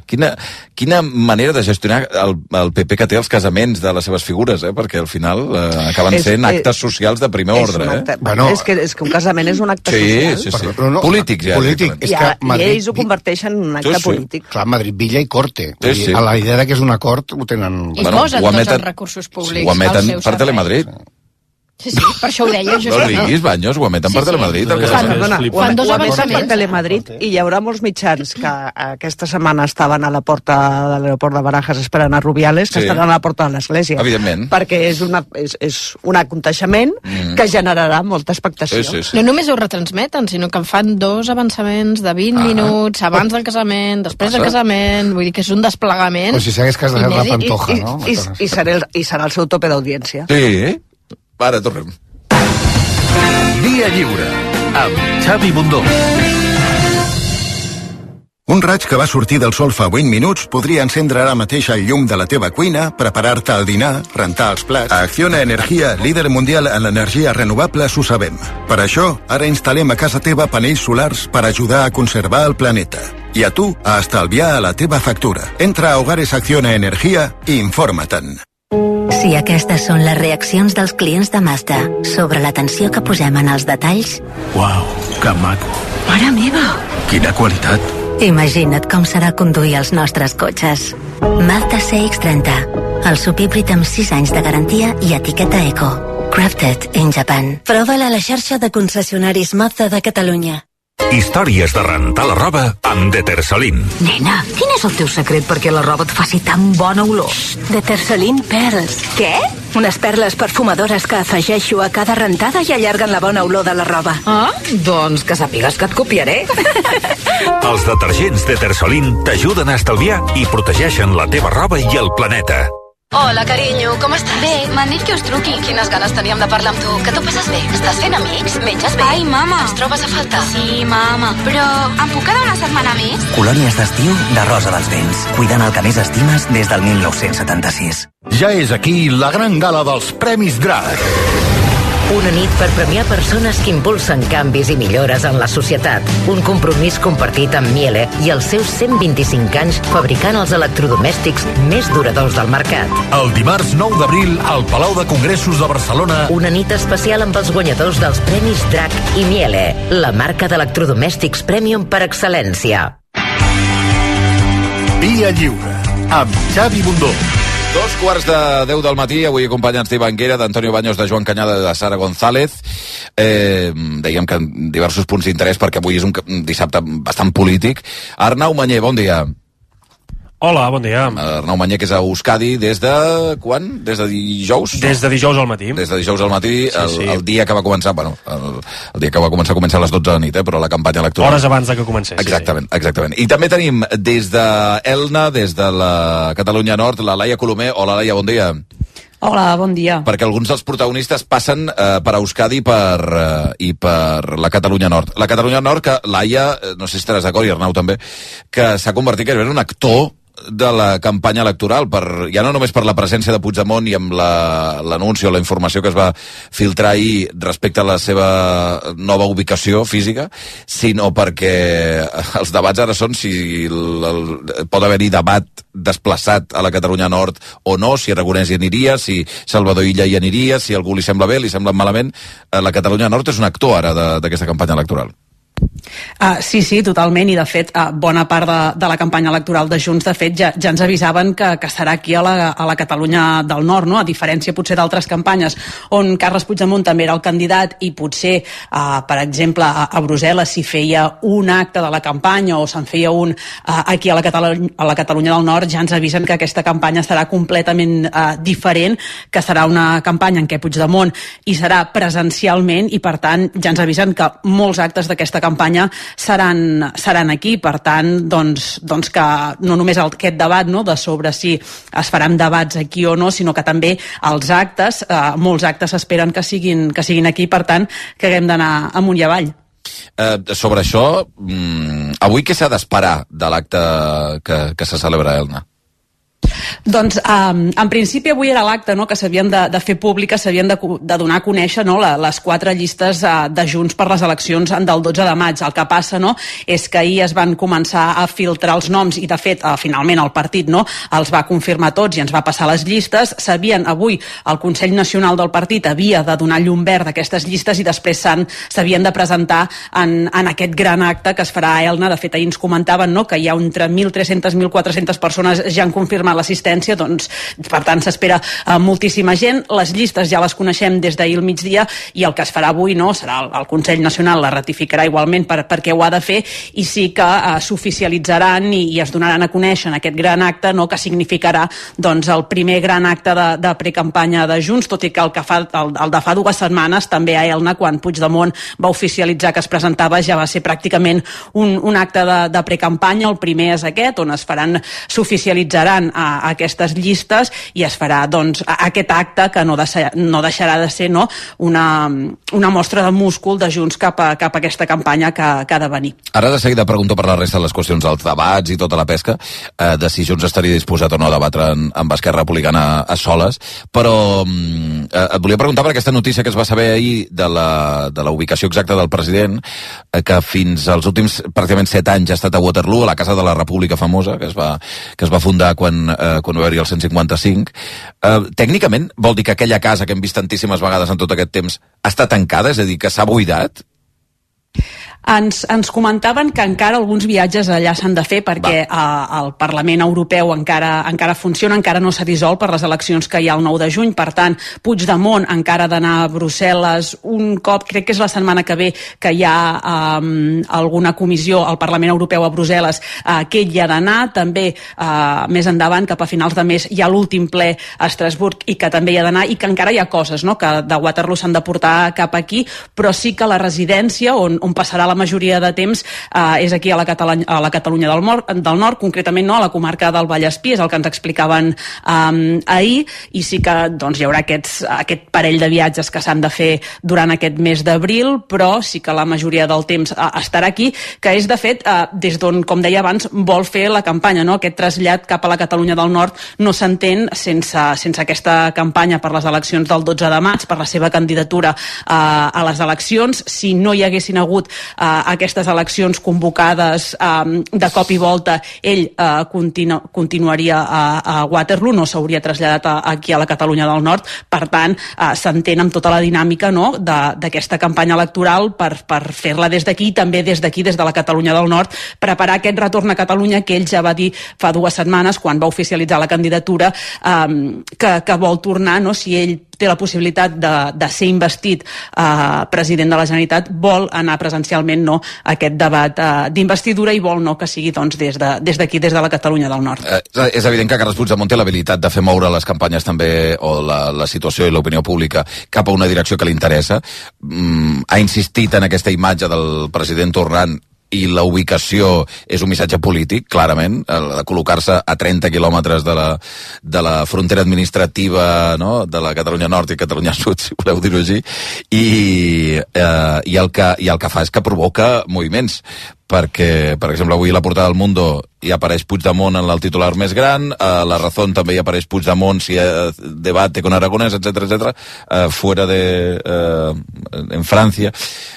Quina manera de gestionar el PP que té els casaments de les seves figures, perquè al final acaben sent actes socials de primer ordre. És que un casament és un acte social. Sí. Polític, ja. I ells ho converteixen en un acte polític. Clar, Madrid, Villa i Corte. A la idea que és una cort ho tenen... I posen tots els recursos públics. Ho emeten per Telemadrid. Sí, per això ho deia. No riguis, Banyos, ho emeten per Telemadrid. Ho emeten per Telemadrid, i hi haurà molts mitjans que aquesta setmana estaven a la porta de l'aeroport de Barajas esperant a Rubiales, que estaran a la porta de l'església. Evidentment. Perquè és un aconteixement que generarà molta expectació. No només ho retransmeten, sinó que en fan 2 avançaments de 20 minuts abans del casament, després del casament, vull dir que és un desplegament. O si s'hagués casat la Pantoja, no? I serà el seu tope d'audiència. Sí. Ara tornem. Dia lliure amb Xavi Bundó. Un raig que va sortir del sol fa 20 minuts podria encendre ara mateix el llum de la teva cuina, preparar-te el dinar, rentar els plats. A Acciona Energia, líder mundial en l'energia renovable, ho sabem. Per això, ara instal·lem a casa teva panells solars per ajudar a conservar el planeta. I a tu, a estalviar a la teva factura. Entra a Hogares Acciona Energia i informa-te'n. Si aquestes són les reaccions dels clients de Mazda sobre l'atenció que posem en els detalls... Uau, que maco. Mare meva! Quina qualitat. Imagina't com serà conduir els nostres cotxes. Mazda CX-30, el subhíbrid amb 6 anys de garantia i etiqueta Eco. Crafted in Japan. Prova-la a la xarxa de concessionaris Mazda de Catalunya. Històries de rentar la roba amb Detersolin. Nena, quin és el teu secret perquè la roba et faci tan bona olor? Detersolin Pearls. Què? Unes perles perfumadores que afegeixo a cada rentada i allarguen la bona olor de la roba. Ah, doncs que sàpigues que et copiaré. Els detergents Detersolin t'ajuden a estalviar i protegeixen la teva roba i el planeta. Hola, carinyo, com estàs? Bé, m'han dit que us truqui. Quines ganes teníem de parlar amb tu. Que t'ho passes bé? Estàs fent amics? Menges bé? Ai, mama. Ens trobes a faltar? Sí, mama. Però em puc quedar una setmana més? Colònies d'estiu de Rosa dels Vents. Cuidant el que més estimes des del 1976. Ja és aquí la gran gala dels Premis Drac. Una nit per premiar persones que impulsen canvis i millores en la societat. Un compromís compartit amb Miele i els seus 125 anys fabricant els electrodomèstics més duradors del mercat. El dimarts 9 d'abril al Palau de Congressos de Barcelona. Una nit especial amb els guanyadors dels Premis Drac i Miele, la marca d'electrodomèstics premium per excel·lència. Via Lliure, amb Xavi Bundó. 2:15 del matí, avui acompanyats d'Ivanguera, d'Antonio Baños, de Joan Cañada, de Sara González. Dèiem que en diversos punts d'interès, perquè avui és un dissabte bastant polític. Arnau Mañé, bon dia. Hola, bon dia. Arnau Mañé, que és a Euskadi des de quan? Des de dijous? Des de dijous al matí. Des de dijous al matí, sí. El dia que va començar, bueno, el dia que va començar a les 12 de la nit, però la campanya electoral... Hores abans de que comencés. Exactament, sí. Exactament. I també tenim des d'Elna, des de la Catalunya Nord, la Laia Colomer. Hola, Laia, bon dia. Hola, bon dia. Perquè alguns dels protagonistes passen per Euskadi i per la Catalunya Nord. La Catalunya Nord, que Laia, no sé si estaràs d'acord, i Arnau també, que s'ha convertit en un actor de la campanya electoral, ja no només per la presència de Puigdemont i amb l'anunci o la informació que es va filtrar ahir respecte a la seva nova ubicació física, sinó perquè els debats ara són si pot haver-hi debat desplaçat a la Catalunya Nord o no, si Aragonès hi aniria, si Salvador Illa hi aniria, si algú li sembla bé, li sembla malament. La Catalunya Nord és un actor ara d'aquesta campanya electoral. Sí, totalment, i de fet bona part de la campanya electoral de Junts, de fet, ja ens avisaven que serà aquí a la Catalunya del Nord, no? A diferència potser d'altres campanyes on Carles Puigdemont també era el candidat i potser, per exemple, a Brussel·les s'hi feia un acte de la campanya o se'n feia un aquí a la Catalunya del Nord, ja ens avisen que aquesta campanya serà completament diferent, que serà una campanya en què Puigdemont hi serà presencialment i, per tant, ja ens avisen que molts actes d'aquesta campanya seran aquí, per tant, doncs que no només aquest debat, no, de sobre si es faran debats aquí o no, sinó que també els actes, molts actes s'esperen que siguin aquí, per tant, que haguem d'anar amunt i avall. Sobre això, avui què s'ha d'esperar de l'acte que se celebra a Elna? Doncs, en principi, avui era l'acte, no?, que s'havien de fer pública, s'havien de donar a conèixer, no?, les 4 llistes de Junts per les eleccions del 12 de maig. El que passa, no?, és que ahir es van començar a filtrar els noms i, de fet, finalment el partit, no?, els va confirmar tots i ens va passar les llistes. Avui el Consell Nacional del partit havia de donar llum verd a aquestes llistes i després s'havien de presentar en aquest gran acte que es farà a Elna. De fet, ahir ens comentaven, no?, que hi ha entre 1.300 i 1.400 persones ja han confirmat l'assistència, doncs, per tant, s'espera moltíssima gent. Les llistes ja les coneixem des d'ahir al migdia i el que es farà avui, no, serà el Consell Nacional, la ratificarà igualment perquè ho ha de fer, i sí que s'oficialitzaran i es donaran a conèixer en aquest gran acte, no, que significarà, doncs, el primer gran acte de precampanya de Junts, tot i que el de fa 2 setmanes, també a Elna, quan Puigdemont va oficialitzar que es presentava, ja va ser pràcticament un acte de precampanya. El primer és aquest, on s'oficialitzaran aquestes llistes i es farà, doncs, aquest acte que no deixarà de ser, no, una mostra de múscul de Junts cap a aquesta campanya que ha de venir. Ara de seguida pregunto per la resta de les qüestions dels debats i tota la pesca, de si Junts estaria disposat o no a debatre amb Esquerra Republicana a soles, però et volia preguntar per aquesta notícia que es va saber ahir de la ubicació exacta del president, que fins als últims pràcticament 7 anys ha estat a Waterloo, a la Casa de la República famosa, que es va fundar quan va haver-hi el 155. Tècnicament vol dir que aquella casa que hem vist tantíssimes vegades en tot aquest temps està tancada, és a dir, que s'ha buidat? Ens comentaven que encara alguns viatges allà s'han de fer perquè el Parlament Europeu encara funciona, encara no s'ha dissolt per les eleccions que hi ha el 9 de juny, per tant, Puigdemont encara ha d'anar a Brussel·les un cop, crec que és la setmana que ve, que hi ha alguna comissió al Parlament Europeu a Brussel·les, que ell hi ha d'anar, també més endavant, cap a finals de mes, hi ha l'últim ple a Estrasburg i que també hi ha d'anar, i que encara hi ha coses, no?, que de Waterloo s'han de portar cap aquí, però sí que la residència on passarà la majoria de temps és aquí a la Catalunya del Nord, concretament no, a la comarca del Vallespí, és el que ens explicaven ahir, i sí que doncs, hi haurà aquest parell de viatges que s'han de fer durant aquest mes d'abril, però sí que la majoria del temps estarà aquí, que és de fet des d'on, com deia abans, vol fer la campanya, no? Aquest trasllat cap a la Catalunya del Nord no s'entén sense aquesta campanya per les eleccions del 12 de maig, per la seva candidatura a les eleccions. Si no hi haguessin hagut aquestes eleccions convocades de cop i volta, ell continuaria a Waterloo, no s'hauria traslladat aquí a la Catalunya del Nord. Per tant, s'entén amb tota la dinàmica, no?, d'aquesta campanya electoral per fer-la des d'aquí, i també des d'aquí, des de la Catalunya del Nord, preparar aquest retorn a Catalunya que ell ja va dir fa 2 setmanes, quan va oficialitzar la candidatura, que vol tornar, no?, si ell té la possibilitat de ser investit president de la Generalitat, vol anar presencialment, no, a aquest debat d'investidura, i vol no que sigui doncs, des d'aquí, des de la Catalunya del Nord. És evident que Carles Puigdemont té l'habilitat de fer moure les campanyes també, o la situació i l'opinió pública, cap a una direcció que li interessa. Ha insistit en aquesta imatge del president tornant, i la ubicació és un missatge polític, clarament, de col·locar-se a 30 quilòmetres de la frontera administrativa, no?, de la Catalunya Nord i Catalunya Sud, si voleu dir-ho així, i el que fa és que provoca moviments, perquè, per exemple, avui a la portada del Mundo hi apareix Puigdemont en el titular més gran, a La Razón també hi apareix Puigdemont si debate con Aragonès, etc., fuera en França.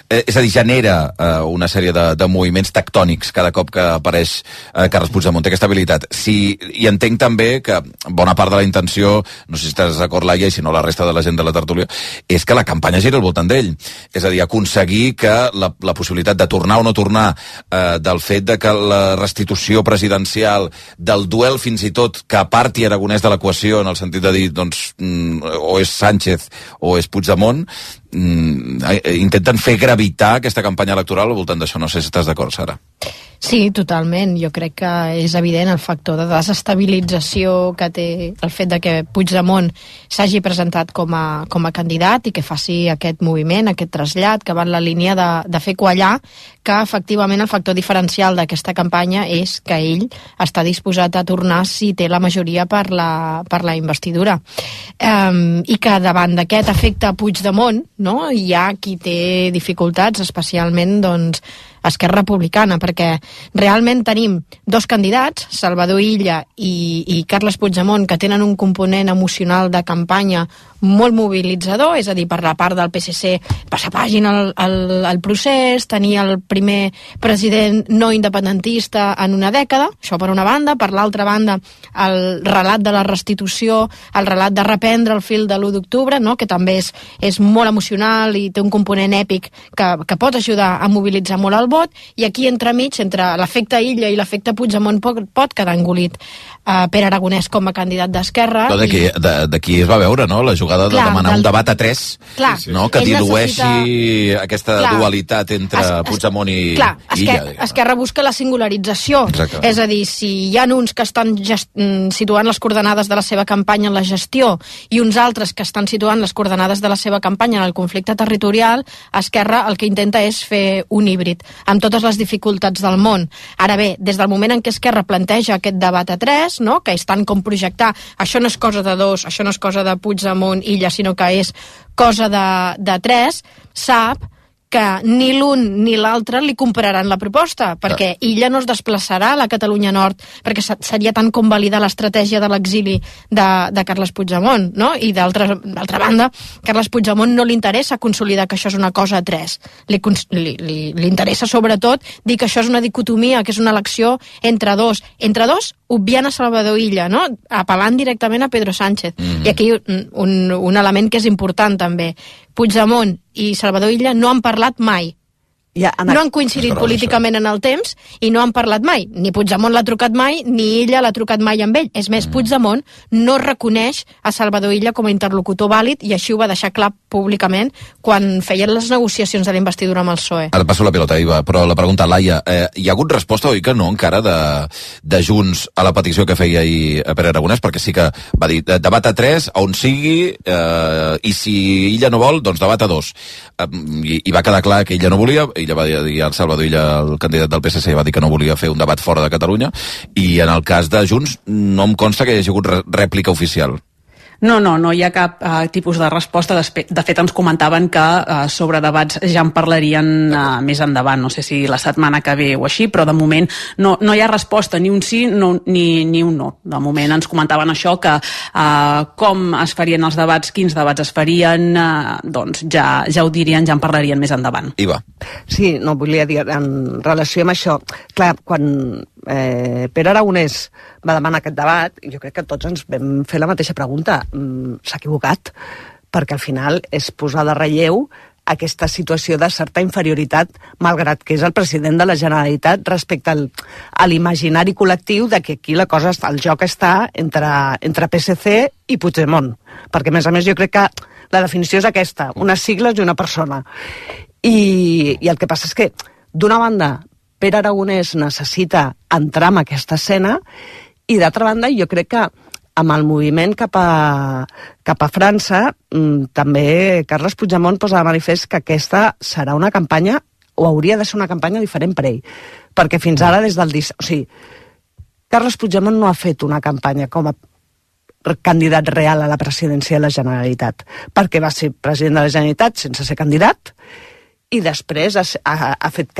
És a dir, genera una sèrie de moviments tectònics cada cop que apareix Carles Puigdemont, té aquesta habilitat. I entenc també que bona part de la intenció, no sé si estàs d'acord, Laia, i si no la resta de la gent de la tertúlia, és que la campanya gira al voltant d'ell. És a dir, aconseguir que la possibilitat de tornar o no tornar, del fet de que la restitució presidencial, del duel fins i tot que aparti Aragonès de l'equació, en el sentit de dir, doncs, o és Sánchez o és Puigdemont, intenten fer gravitar aquesta campanya electoral al voltant d'això. No sé si estàs d'acord, Sara. Sí, totalment. Jo crec que és evident el factor de desestabilització que té el fet de que Puigdemont s'hagi presentat com a candidat i que faci aquest moviment, aquest trasllat, que va en la línia de fer quallar que efectivament el factor diferencial d'aquesta campanya és que ell està disposat a tornar si té la majoria per la investidura. I que davant d'aquest efecte Puigdemont, no, hi ha qui té dificultats, especialment doncs Esquerra Republicana, perquè realment tenim 2 candidats, Salvador Illa i Carles Puigdemont, que tenen un component emocional de campanya molt mobilitzador, és a dir, per la part del PSC passar pàgina al procés, tenir el primer president no independentista en una dècada, això per una banda. Per l'altra banda, el relat de la restitució, el relat de reprendre el fil de l'1 d'octubre, no?, que també és molt emocional i té un component èpic que pot ajudar a mobilitzar molt el vot, i aquí entremig, entre l'efecte Illa i l'efecte Puigdemont, pot quedar engolit Pere Aragonès com a candidat d'Esquerra. D'aquí es va veure, no?, la jugada de demanar un debat a 3, no?, que dilueixi aquesta dualitat entre Puigdemont i Illa. Esquerra busca la singularització. Exacte. És a dir, si hi ha uns que estan situant les coordenades de la seva campanya en la gestió i uns altres que estan situant les coordenades de la seva campanya en el conflicte territorial, Esquerra el que intenta és fer un híbrid, amb totes les dificultats del món. Ara bé, des del moment en què Esquerra planteja aquest debat a 3, no?, que és tant com projectar, això no és cosa de 2, això no és cosa de Puigdemont, Illa, sinó que és cosa de 3, sap que ni l'un ni l'altre li compararan la proposta, perquè Illa no es desplaçarà a la Catalunya Nord, perquè seria tant com validar l'estratègia de l'exili de Carles Puigdemont, no? I d'altra banda, Carles Puigdemont no li interessa consolidar que això és una cosa a 3. Li interessa sobretot dir que això és una dicotomia, que és una elecció entre 2. Entre 2, obviant a Salvador Illa, no?, apel·lant directament a Pedro Sánchez. I aquí un element que és important també. Puigdemont i Salvador Illa no han parlat mai. no han coincidit políticament en el temps i no han parlat mai. Ni Puigdemont l'ha trucat mai, ni Illa l'ha trucat mai amb ell. És més, Puigdemont no reconeix a Salvador Illa com a interlocutor vàlid i així ho va deixar clar públicament quan feien les negociacions de la investidura amb el PSOE. Ara passo la pilota, Iva, però la pregunta, Laia, hi ha hagut resposta, oi que no, encara de Junts a la petició que feia ahir Pere Aragonès? Perquè sí que va dir debat a 3, on sigui, i si Illa no vol, doncs debat a 2. I va quedar clar que Illa no volia. Illa va dir al Salvador Illa, el candidat del PSC, va dir que no volia fer un debat fora de Catalunya, i en el cas de Junts no em consta que hi hagi hagut rèplica oficial. No hi ha cap tipus de resposta. De fet, ens comentaven que sobre debats ja en parlarien més endavant, no sé si la setmana que ve o així, però de moment no hi ha resposta, ni un sí ni un no. De moment ens comentaven això, que com es farien els debats, quins debats es farien, doncs ja ho dirien, ja en parlarien més endavant. Iva. Sí, no, volia dir, en relació amb això, clar, quan Pere Aragonès va demanar aquest debat, jo crec que tots ens vam fer la mateixa pregunta. S'ha equivocat, perquè al final és posar de relleu aquesta situació de certa inferioritat, malgrat que és el president de la Generalitat, respecte a l'imaginari col·lectiu de que aquí la cosa, el joc està entre PSC i Puigdemont. Perquè, a més, jo crec que la definició és aquesta, unes sigles i una persona. I el que passa és que, d'una banda, Pere Aragonès necessita entrar en aquesta escena i, d'altra banda, jo crec que amb el moviment cap a França, també Carles Puigdemont posa de manifest que aquesta serà una campanya, o hauria de ser una campanya diferent per ell. Perquè fins ara, des del... O sigui, Carles Puigdemont no ha fet una campanya com a candidat real a la presidència de la Generalitat, perquè va ser president de la Generalitat sense ser candidat, i després ha fet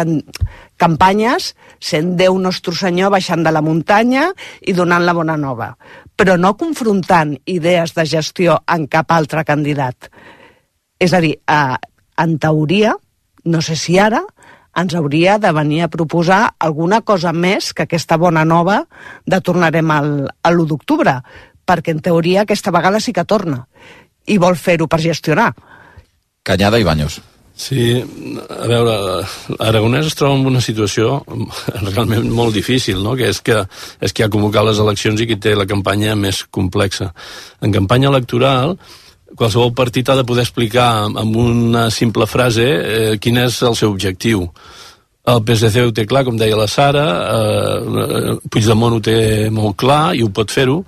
campanyes sent Déu nostre senyor baixant de la muntanya i donant la bona nova, però no confrontant idees de gestió amb cap altre candidat. És a dir, en teoria, no sé si ara, ens hauria de venir a proposar alguna cosa més que aquesta bona nova de tornarem l'1 d'octubre, perquè en teoria aquesta vegada sí que torna i vol fer-ho per gestionar. Cañada i Baños. Sí, a veure, Aragonès es troba en una situació realment molt difícil, no? Que és qui ha convocat les eleccions i qui té la campanya més complexa. En campanya electoral, qualsevol partit ha de poder explicar amb una simple frase quin és el seu objectiu. El PSC ho té clar, com deia la Sara, Puigdemont ho té molt clar i ho pot fer-ho,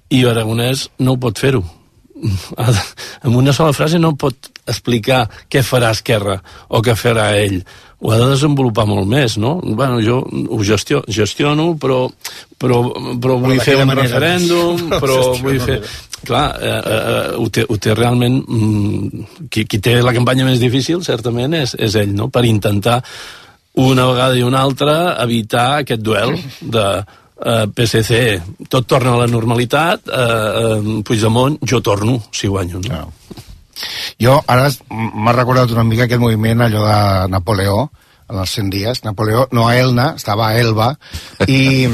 i Aragonès no ho pot fer-ho. Amb una sola frase no pot explicar què farà Esquerra o què farà ell. Ho ha de desenvolupar molt més, no? Bueno, jo ho gestiono, però vull fer un referèndum, però vull fer... Clar, ho té realment... Qui té la campanya més difícil, certament, és ell, no? Per intentar una vegada i una altra evitar aquest duel de... PSC, tot torna a la normalitat, Puigdemont, jo torno, si guanyo. No? Jo ara m'ha recordat una mica aquest moviment, allò de Napoleó, en els 100 dies. Napoleó, no a Elna, estava a Elba, i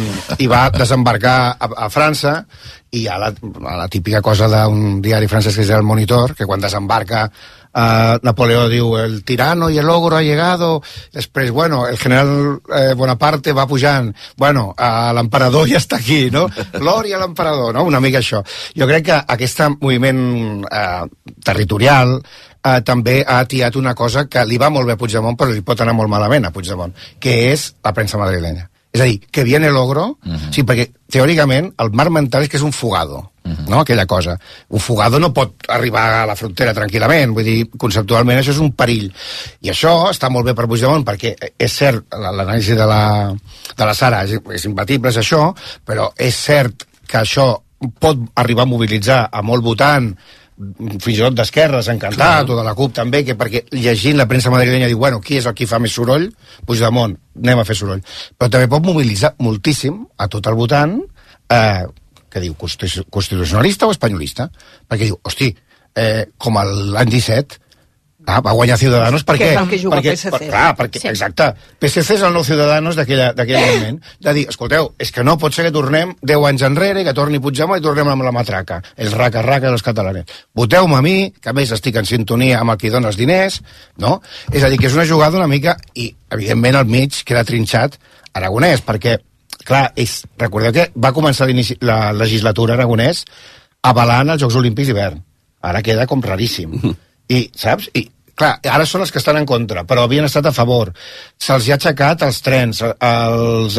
va desembarcar a França, i hi ha la típica cosa d'un diari francès que és el Monitor, que quan desembarca Napoleó diu el tirano y el ogro ha llegado, després, bueno, el general Bonaparte va pujant, bueno, l'emperador ja està aquí, no? Glòria a l'emperador, no? Una mica això. Jo crec que aquest moviment territorial també ha atiat una cosa que li va molt bé a Puigdemont, però li pot anar molt malament a Puigdemont, que és la premsa madrilenya. És a dir, que viene el ogro, sí, perquè teòricament el marc mental és que és un fugado, no? Aquella cosa. Un fugado no pot arribar a la frontera tranquil·lament, vull dir, conceptualment això és un perill. I això està molt bé per Puigdemont, perquè és cert, l'anàlisi de la Sara és imbatible, és això, però és cert que això pot arribar a mobilitzar a molt votant, fins i tot d'esquerres, encantat, o de la CUP també, que perquè llegint la premsa madrilenya diu, bueno, qui és el qui fa més soroll? Puigdemont, anem a fer soroll. Però també pot mobilitzar moltíssim a tot el votant que diu constitucionalista o espanyolista, perquè diu, hosti, com l'any 17, Va guanyar Ciudadanos per què? Que és el que juga PSC. Perquè, exacte. PSC és el nou Ciudadanos d'aquell moment. De dir, escolteu, és que no pot ser que tornem 10 anys enrere i que torni Puigdemont i tornem amb la matraca. El raca-raca dels catalans. Voteu-me a mi, que a més estic en sintonia amb el que dona els diners, no? És a dir, que és una jugada una mica... I, evidentment, al mig queda trinxat Aragonès, perquè, clar, recordeu que va començar la legislatura Aragonès avalant els Jocs Olímpics d'hivern. Ara queda com raríssim. I, saps? I, clar, ara són els que estan en contra, però havien estat a favor. Se'ls ha aixecat els trens, els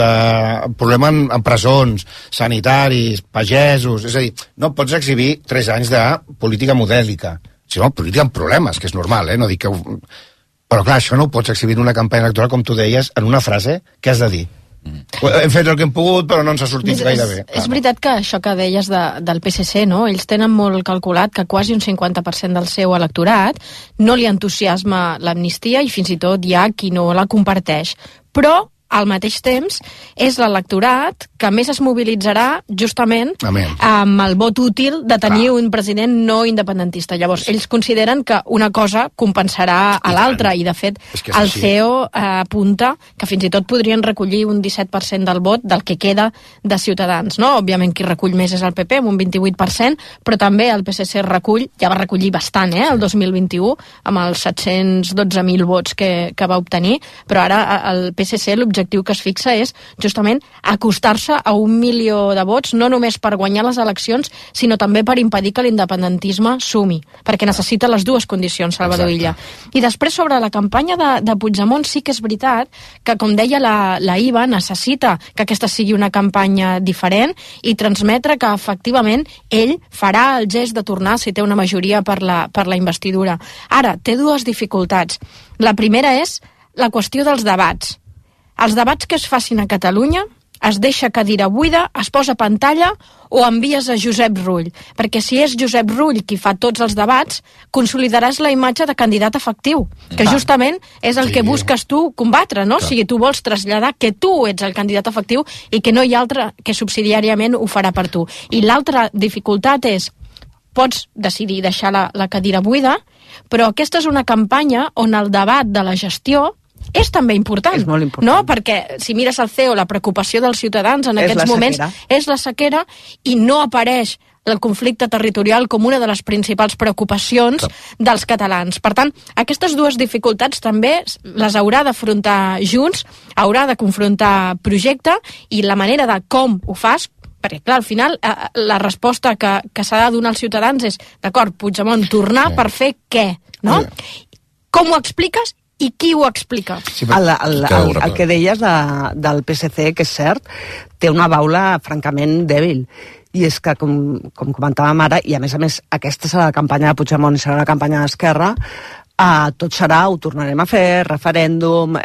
problemes en presons, sanitaris, pagesos... És a dir, no pots exhibir 3 anys de política modèlica, sinó política amb problemes, que és normal, no dic que... Però clar, això no ho pots exhibir en una campanya electoral, com tu deies, en una frase, què has de dir? Hem fet el que hem pogut, però no ens ha sortit gaire bé. És veritat que això que deies del PSC, no? Ells tenen molt calculat que quasi un 50% del seu electorat no li entusiasma l'amnistia i fins i tot hi ha qui no la comparteix. Però al mateix temps, és l'electorat que més es mobilitzarà justament amb el vot útil de tenir un president no independentista. Llavors, ells consideren que una cosa compensarà a l'altra, i de fet el CEO apunta que fins i tot podrien recollir un 17% del vot del que queda de Ciutadans, no? Òbviament qui recull més és el PP, amb un 28%, però també el PSC recull, ja va recollir bastant, el 2021, amb els 712.000 vots que va obtenir, però ara el PSC l'objectiu que es fixa és justament acostar-se a 1 milió de vots, no només per guanyar les eleccions, sinó també per impedir que l'independentisme sumi, perquè necessita les dues condicions, Salvador Illa. I després, sobre la campanya de Puigdemont, sí que és veritat que, com deia la Iva, necessita que aquesta sigui una campanya diferent i transmetre que, efectivament, ell farà el gest de tornar si té una majoria per la investidura. Ara, té dues dificultats. La primera és la qüestió dels debats. Els debats que es facin a Catalunya, es deixa cadira buida, es posa pantalla o envies a Josep Rull. Perquè si és Josep Rull qui fa tots els debats, consolidaràs la imatge de candidat efectiu, que justament és el que busques tu combatre, no? O sigui, tu vols traslladar que tu ets el candidat efectiu i que no hi ha altre que subsidiàriament ho farà per tu. I l'altra dificultat és, pots decidir deixar la cadira buida, però aquesta és una campanya on el debat de la gestió és també important, és molt important, no? Perquè si mires el CEO, la preocupació dels ciutadans en aquests moments és la sequera i no apareix el conflicte territorial com una de les principals preocupacions dels catalans. Per tant, aquestes dues dificultats també les haurà d'afrontar Junts, haurà de confrontar projecte, i la manera de com ho fas, perquè, clar, al final, la resposta que s'ha de donar als ciutadans és, d'acord, Puigdemont, tornar per fer què, no? Com ho expliques i qui ho explica? El que deies del PSC, que és cert, té una baula francament dèbil. I és que, com comentàvem ara, i a més, aquesta serà la campanya de Puigdemont i serà la campanya d'Esquerra, tot serà, ho tornarem a fer, referèndum,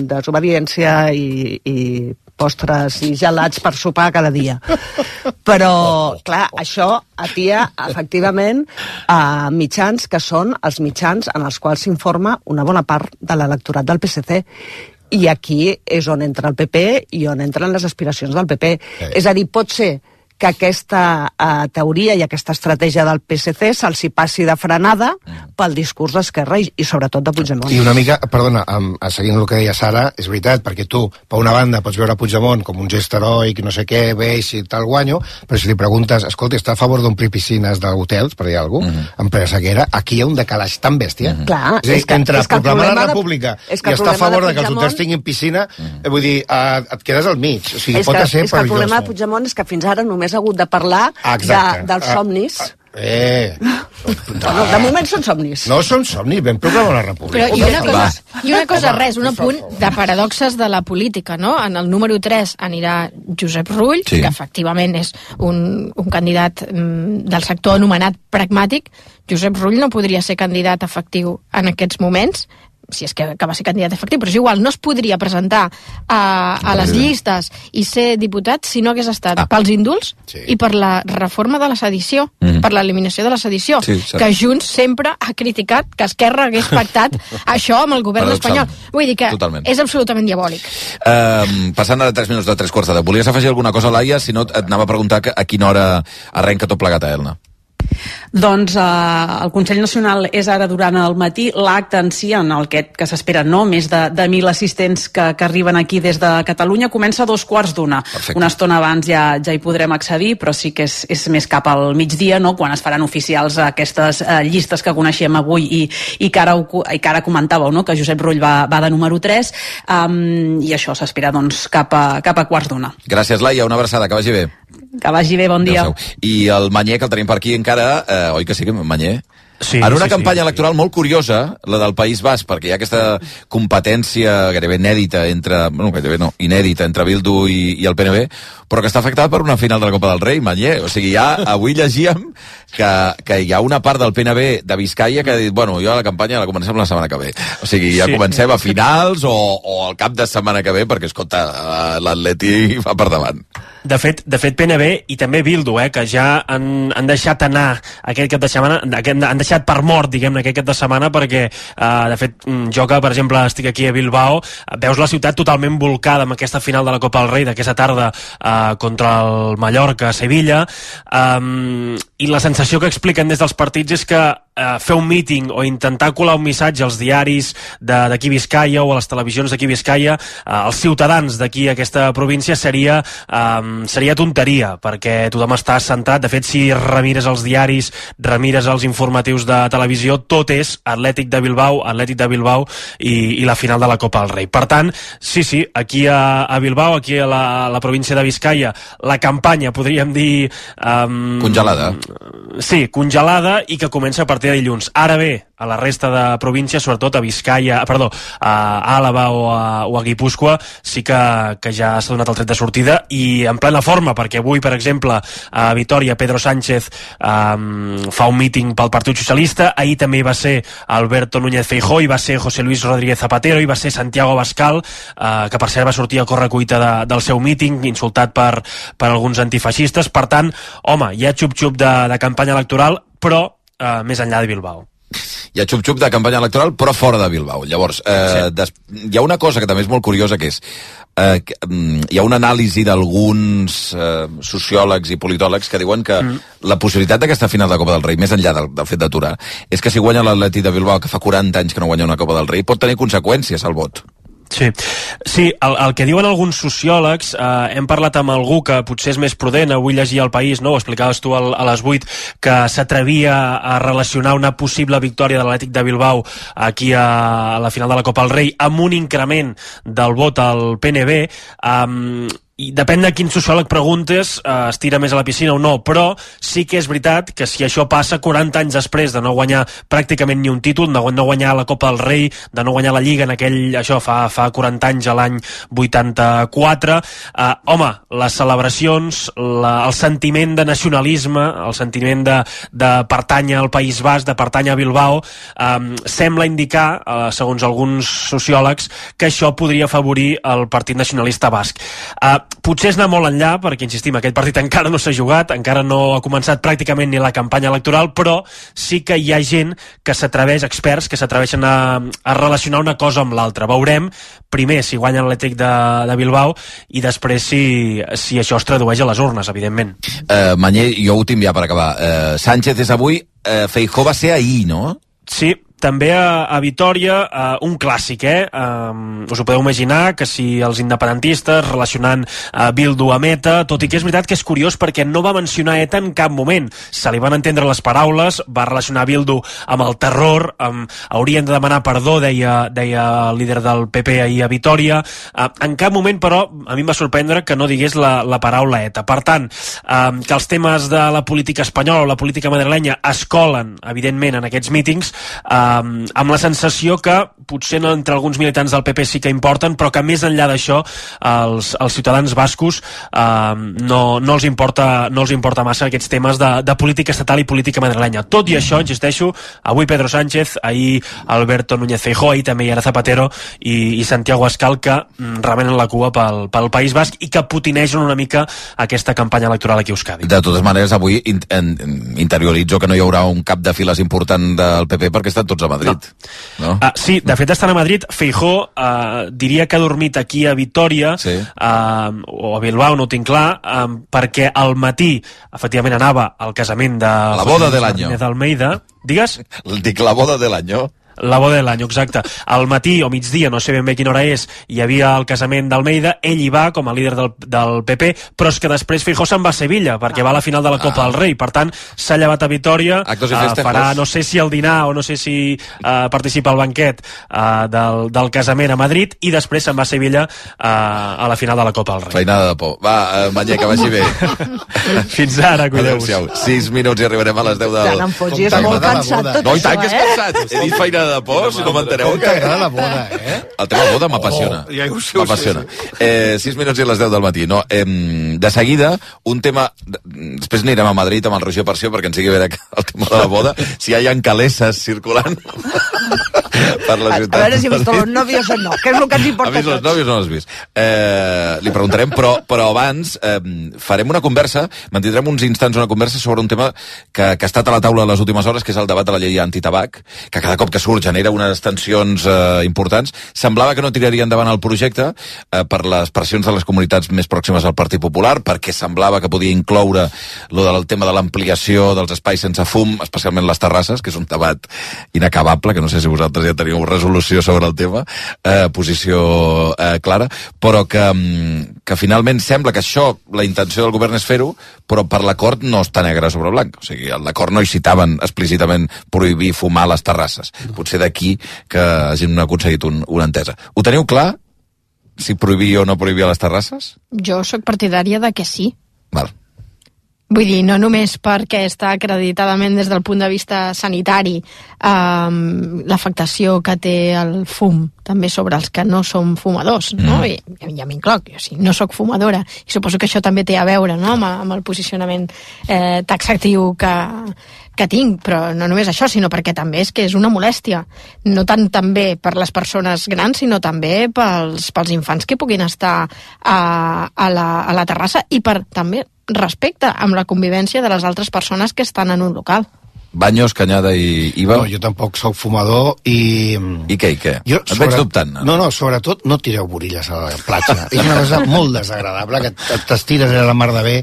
desobediència i postres i gelats per sopar cada dia. Però, clar, això atia, efectivament, a mitjans que són els mitjans en els quals s'informa una bona part de l'electorat del PSC. I aquí és on entra el PP i on entren les aspiracions del PP. És a dir, pot ser que aquesta teoria i aquesta estratègia del PSC se'ls hi passi de frenada pel discurs d'Esquerra i sobretot de Puigdemont. I una mica, perdona, seguint el que deia Sara, és veritat, perquè tu, per una banda, pots veure Puigdemont com un gest heroic, no sé què, veig i tal guanyo, però si li preguntes, escolta, està a favor d'omplir piscines d'hotels, per dir alguna cosa, en ple sequera, aquí hi ha un decalaix tan bèstia. Clar, és que entre proclamar la república i estar a favor que els hotels tinguin piscina, vull dir, et quedes al mig. O sigui, pot ser perillós. És que el problema de Puigdemont és que fins ara només ha hagut de parlar dels somnis. De moment són somnis. No són somnis, ben proclamar la república. Però una cosa, un apunt de paradoxes de la política, no? En el número 3 anirà Josep Rull, que efectivament és un candidat del sector anomenat pragmàtic. Josep Rull no podria ser candidat efectiu en aquests moments, si és que va ser candidat efectiu, però és igual, no es podria presentar a les llistes i ser diputat si no hagués estat pels indults i per la reforma de la sedició, per l'eliminació de la sedició, que Junts sempre ha criticat que Esquerra hagués pactat això amb el govern espanyol. Vull dir que és absolutament diabòlic. Passant a 3 minuts de 3 quarts de 10, volies afegir alguna cosa, Laia? Si no, et anava a preguntar a quina hora arrenca tot plegat a Elna. Doncs el Consell Nacional és ara durant el matí. L'acte en si, en el que s'espera més de 1.000 assistents que arriben aquí des de Catalunya, comença a 2:15. Una estona abans ja hi podrem accedir, però sí que és més cap al migdia, quan es faran oficials aquestes llistes que coneixem avui i que ara comentàveu, que Josep Rull va de número 3, i això s'espera cap a 1:15. Gràcies, Laia, una abraçada, que vagi bé. Que vagi bé, bon dia. I el Manyer, que el tenim per aquí encara, oi que sí, Manyer? Sí, en una campanya electoral molt curiosa, la del País Basc, perquè hi ha aquesta competència gairebé inèdita entre Bildu i el PNB, però que està afectada per una final de la Copa del Rei, Manyer. O sigui, avui llegíem que hi ha una part del PNB de Biscaia que ha dit, jo la campanya la comencem la setmana que ve. O sigui, ja comencem a finals o al cap de setmana que ve, perquè, escolta, l'Atleti va per davant. De fet, PNB i també Bildu, que ja han deixat anar aquest cap de setmana, han deixat per mort, diguem-ne, aquest cap de setmana, perquè, de fet, jo que, per exemple, estic aquí a Bilbao, veus la ciutat totalment volcada amb aquesta final de la Copa del Rei d'aquesta tarda contra el Mallorca a Sevilla, i la sensació que expliquen des dels partits és que fer un míting o intentar colar un missatge als diaris d'aquí Biscaia o a les televisions d'aquí Biscaia, als ciutadans d'aquí aquesta província, seria tonteria, perquè tothom està centrat. De fet, si remires els diaris, remires els informatius de televisió, tot és Atlètic de Bilbao i la final de la Copa del Rei. Per tant, sí, aquí a Bilbao, aquí a la província de Biscaia, la campanya, podríem dir... congelada. Sí, congelada, i que comença a partir de dilluns. Ara bé, a la resta de províncies, sobretot a Àlava o a Guipúscoa, sí que ja s'ha donat el tret de sortida i en plena forma, perquè avui, per exemple, a Vitoria, Pedro Sánchez fa un míting pel Partit Socialista. Ahir també hi va ser Alberto Núñez Feijóo, hi va ser José Luis Rodríguez Zapatero, hi va ser Santiago Abascal, que per cert va sortir a correcuita del seu míting, insultat per alguns antifeixistes. Per tant, home, hi ha xup-xup de campanya electoral, però més enllà de Bilbao. Hi ha xup-xup de campanya electoral, però fora de Bilbao. Llavors, hi ha una cosa que també és molt curiosa, que és hi ha una anàlisi d'alguns sociòlegs i politòlegs que diuen que la possibilitat d'aquesta final de Copa del Rei, més enllà del fet d'aturar, és que si guanya l'Atleti de Bilbao, que fa 40 anys que no guanya una Copa del Rei, pot tenir conseqüències al vot. Sí, el que diuen alguns sociòlegs, hem parlat amb algú que potser és més prudent, avui llegia El País, ho explicaves tu a les 8, que s'atrevia a relacionar una possible victòria de l'Atlètic de Bilbao aquí a la final de la Copa del Rei amb un increment del vot al PNB. I depèn de quin sociòleg preguntes, es tira més a la piscina o no, però sí que és veritat que si això passa 40 anys després de no guanyar pràcticament ni un títol, de no guanyar la Copa del Rei, de no guanyar la Lliga en fa 40 anys, a l'any 84, home, les celebracions, el sentiment de nacionalisme, el sentiment de pertànyer al País Basc, de pertànyer a Bilbao, sembla indicar, segons alguns sociòlegs, que això podria afavorir el Partit Nacionalista Basc. Potser és anar molt enllà, perquè, insistim, aquest partit encara no s'ha jugat, encara no ha començat pràcticament ni la campanya electoral, però sí que hi ha gent que s'atreveix, experts, que s'atreveixen a relacionar una cosa amb l'altra. Veurem, primer, si guanya l'Atlètic de Bilbao, i després si això es tradueix a les urnes, evidentment. Manyer, jo últim ja per acabar. Sánchez és avui, Feijóo va ser ahir, no? Sí, també a Vitoria, un clàssic, us ho podeu imaginar, que si els independentistes relacionant Bildu amb ETA, tot i que és veritat que és curiós perquè no va mencionar ETA en cap moment, se li van entendre les paraules, va relacionar Bildu amb el terror, haurien de demanar perdó, deia el líder del PP ahir a Vitoria. En cap moment, però, a mi em va sorprendre que no digués la paraula ETA. Per tant, que els temes de la política espanyola o la política madrilenya es colen, evidentment, en aquests mítings, amb la sensació que potser entre alguns militants del PP sí que importen, però que més enllà d'això els ciutadans bascos no els importa massa aquests temes de política estatal i política madrilenya. Tot i això, insisteixo, avui Pedro Sánchez, ahir Alberto Núñez Feijóo, ahir també hi era Zapatero i Santiago Abascal, que remenen la cua pel País Basc i que potinegen una mica aquesta campanya electoral aquí a Euskadi. De totes maneres, avui interioritzo que no hi haurà un cap de files important del PP perquè estan tots tots a Madrid. No? Sí, de fet estan a Madrid. Feijóo diria que ha dormit aquí a Vitòria o a Bilbao, no ho tinc clar, perquè al matí efectivament anava al casament de la boda de l'any d'Almeida. Digues? Dic la boda de l'any. La boda de l'any, exacte. Al matí o migdia, no sé ben bé quina hora és, hi havia el casament d'Almeida, ell hi va com a líder del PP, però és que després Feijóo se'n va a Sevilla, perquè va a la final de la Copa del Rei. Per tant, s'ha llevat a Vitòria, farà no sé si el dinar o no sé si participa al banquet del casament a Madrid, i després se'n va a Sevilla a la final de la Copa del Rei. Feinada de por. Va, Manyer, que vagi bé. Fins ara, cuideu-vos. 6 minuts i arribarem a les 10 del... Tant en fots, és molt cansat tot no, i tant que és cansat. He dit feinada de por, si no m'enteneu. T'agrada la boda, El tema boda m'apassiona. Ja ho sé. M'apassiona. 6 minuts i les 10 del matí. No, de seguida, un tema... Després anirem a Madrid amb el Roger Parció perquè ens sigui veure el tema de la boda. Si hi ha calesses circulant per la ciutat. A veure si he vist los novios o no, que és el que ens importa. Ha vist els novios o no els has vist? Li preguntarem, però abans farem una conversa, mantindrem uns instants una conversa sobre un tema que ha estat a la taula les últimes hores, que és el debat de la llei antitabac, que cada cop que surt genera unes tensions importants. Semblava que no tiraria endavant el projecte per les pressions de les comunitats més pròximes al Partit Popular, perquè semblava que podia incloure el tema de l'ampliació dels espais sense fum, especialment les terrasses, que és un debat inacabable, que no sé si vosaltres ja teniu resolució sobre el tema, posició clara, però que finalment sembla que això, la intenció del govern és fer-ho, però per l'acord no està negre sobre blanc. O sigui, l'acord no hi citaven explícitament prohibir fumar a les terrasses. Potser d'aquí que hagin aconseguit una entesa. Ho teniu clar? Si prohibir o no prohibir a les terrasses? Jo sóc partidària de que sí. Val. Vull dir, no només perquè està acreditadament des del punt de vista sanitari l'afectació que té el fum també sobre els que no som fumadors, no? I ja m'incloc, jo sí, no sóc fumadora, i suposo que això també té a veure, no?, amb el posicionament taxatiu que tinc, però no només això, sinó perquè també és que és una molèstia, no tant també per les persones grans, sinó també pels infants que puguin estar a la terrassa, i per també respecte amb la convivència de les altres persones que estan en un local. Baños, Canyada i Iva? No, jo tampoc sóc fumador i... I què? Et veig dubtant. No, sobretot no tireu borilles a la platja. És una cosa molt desagradable, que t'estires a la mar de bé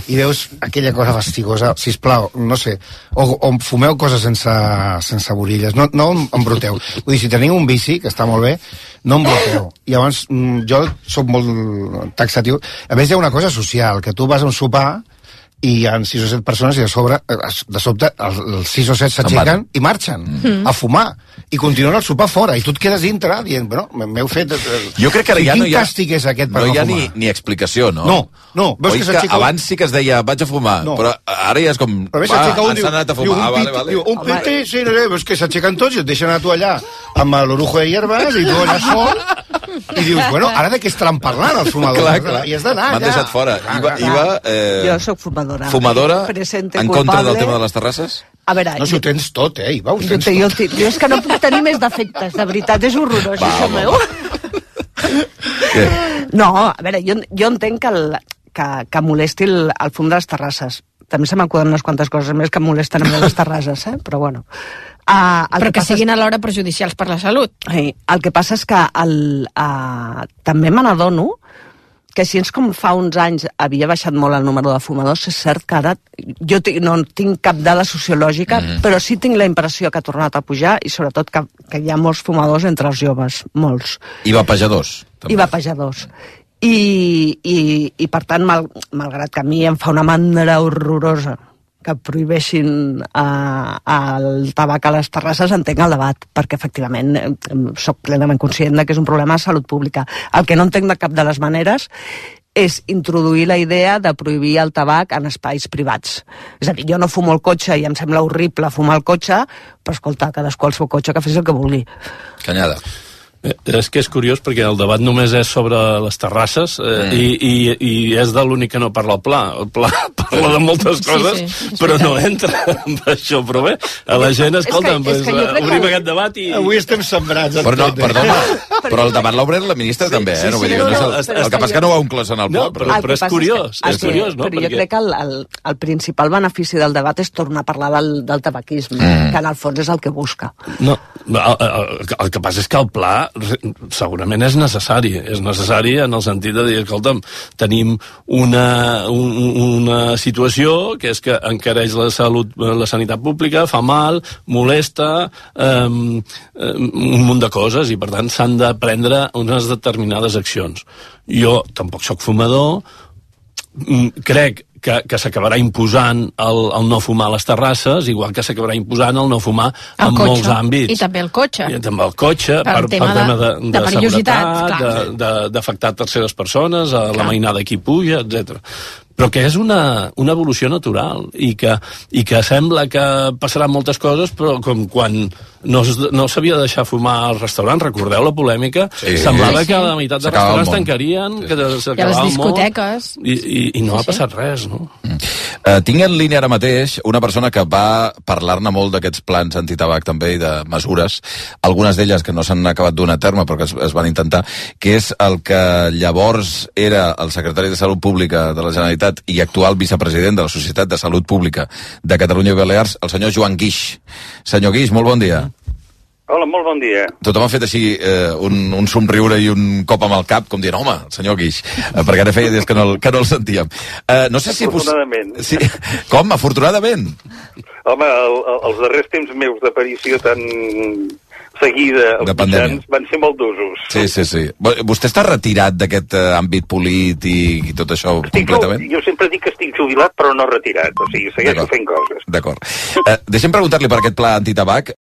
i veus aquella cosa fastigosa. Sisplau, no sé, o fumeu coses sense borilles. No embruteu. Vull dir, si teniu un bici, que està molt bé, no embruteu. I llavors, jo sóc molt taxatiu. A més, hi ha una cosa social, que tu vas a un sopar i hi ha 6 o 7 persones i de sobte els 6 o 7 s'aixequen i marxen a fumar i continuen el sopar fora i tu et quedes dintre dient, bueno, m'heu fet... Jo crec que ara ja no hi ha... Quin càstig és aquest per no no fumar? No hi ha ni explicació, no? No. Veus que abans sí que es deia vaig a fumar, però ara ja és com... Han anat a fumar. Diu, un piti, sí, no sé, és que s'aixequen tots i et deixen a tu allà amb l'orujo de hierbas i tu allà sol i dius, bueno, ara de què estaran parlant els fumadors? Clar. I has d'anar allà. M'han deixat fora. Iva, jo sóc fumadora. Fumadora? Presente en culpable. Contra del tema de les terrasses? A veure, no, si ho tens tot, Iva, ho tens tot. Jo és que no puc tenir més defectes, de veritat, és horrorós, això meu. No, a veure, jo entenc que molesti el fum de les terrasses. També se m'acuden unes quantes coses més que molesten amb les terrasses, però bueno. Però que siguin alhora perjudicials per la salut. El que passa és que també me n'adono que si com fa uns anys havia baixat molt el número de fumadors, és cert que ara jo no tinc cap dada sociològica, però sí tinc la impressió que ha tornat a pujar i sobretot que hi ha molts fumadors entre els joves, molts. I vapejadors. I vapejadors. I per tant, malgrat que a mi em fa una mandra horrorosa que prohibeixin el tabac a les terrasses, entenc el debat, perquè efectivament soc plenament conscient que és un problema de salut pública. El que no entenc de cap de les maneres és introduir la idea de prohibir el tabac en espais privats. És a dir, jo no fumo el cotxe i em sembla horrible fumar el cotxe, però escolta, cadascú al seu cotxe que fes el que vulgui. Canyada. És que és curiós perquè el debat només és sobre les terrasses i és de l'únic que no parla el pla. El pla parla de moltes coses, però no entra amb això. Però bé, a la gent, escolta, obrim aquest debat i... Avui estem sembrats. Perdona, Però el debat l'ha obert la ministra també, no? Vull dir, el que passa que no ho ha inclòs en el pla. Però és curiós, és curiós, no? Però jo crec que el principal benefici del debat és tornar a parlar del tabaquisme, que en el fons és el que busca. No, el que passa és que el pla segurament és necessari en el sentit de dir, escolta'm, tenim una situació que és que encareix la sanitat pública, fa mal, molesta, un munt de coses, i per tant s'han de prendre unes determinades accions. Jo tampoc sóc fumador, crec que s'acabarà imposant el no fumar a les terrasses, igual que s'acabarà imposant el no fumar en molts àmbits. I també el cotxe. I també el cotxe, per tema de seguretat, d'afectar terceres persones, a la mainada qui puja, etc. Però que és una evolució natural i que sembla que passaran moltes coses, però com quan no s'havia de deixar fumar als restaurants, recordeu la polèmica? Semblava que la meitat de restaurants tancarien, que s'acabava el món. I a les discoteques. I no ha passat res, no? Tinc en línia ara mateix una persona que va parlar-ne molt d'aquests plans antitabac també i de mesures, algunes d'elles que no s'han acabat d'una terme però que es van intentar, que és el que llavors era el secretari de Salut Pública de la Generalitat i actual vicepresident de la Societat de Salut Pública de Catalunya i Balears, el senyor Joan Guix. Senyor Guix, molt bon dia. Hola, molt bon dia. Tothom ha fet així un somriure i un cop amb el cap, com dient, home, el senyor Guix, perquè ara feia dies que no el sentíem. No sé si afortunadament. Sí. Com? Afortunadament? Home, els darrers temps meus d'aparició tan seguida als mitjans van ser molt d'usos. Sí. Vostè està retirat d'aquest àmbit polític i tot això completament? Jo sempre dic que estic jubilat, però no retirat. O sigui, segueixo fent coses. D'acord. Deixem preguntar-li per aquest pla antitabac.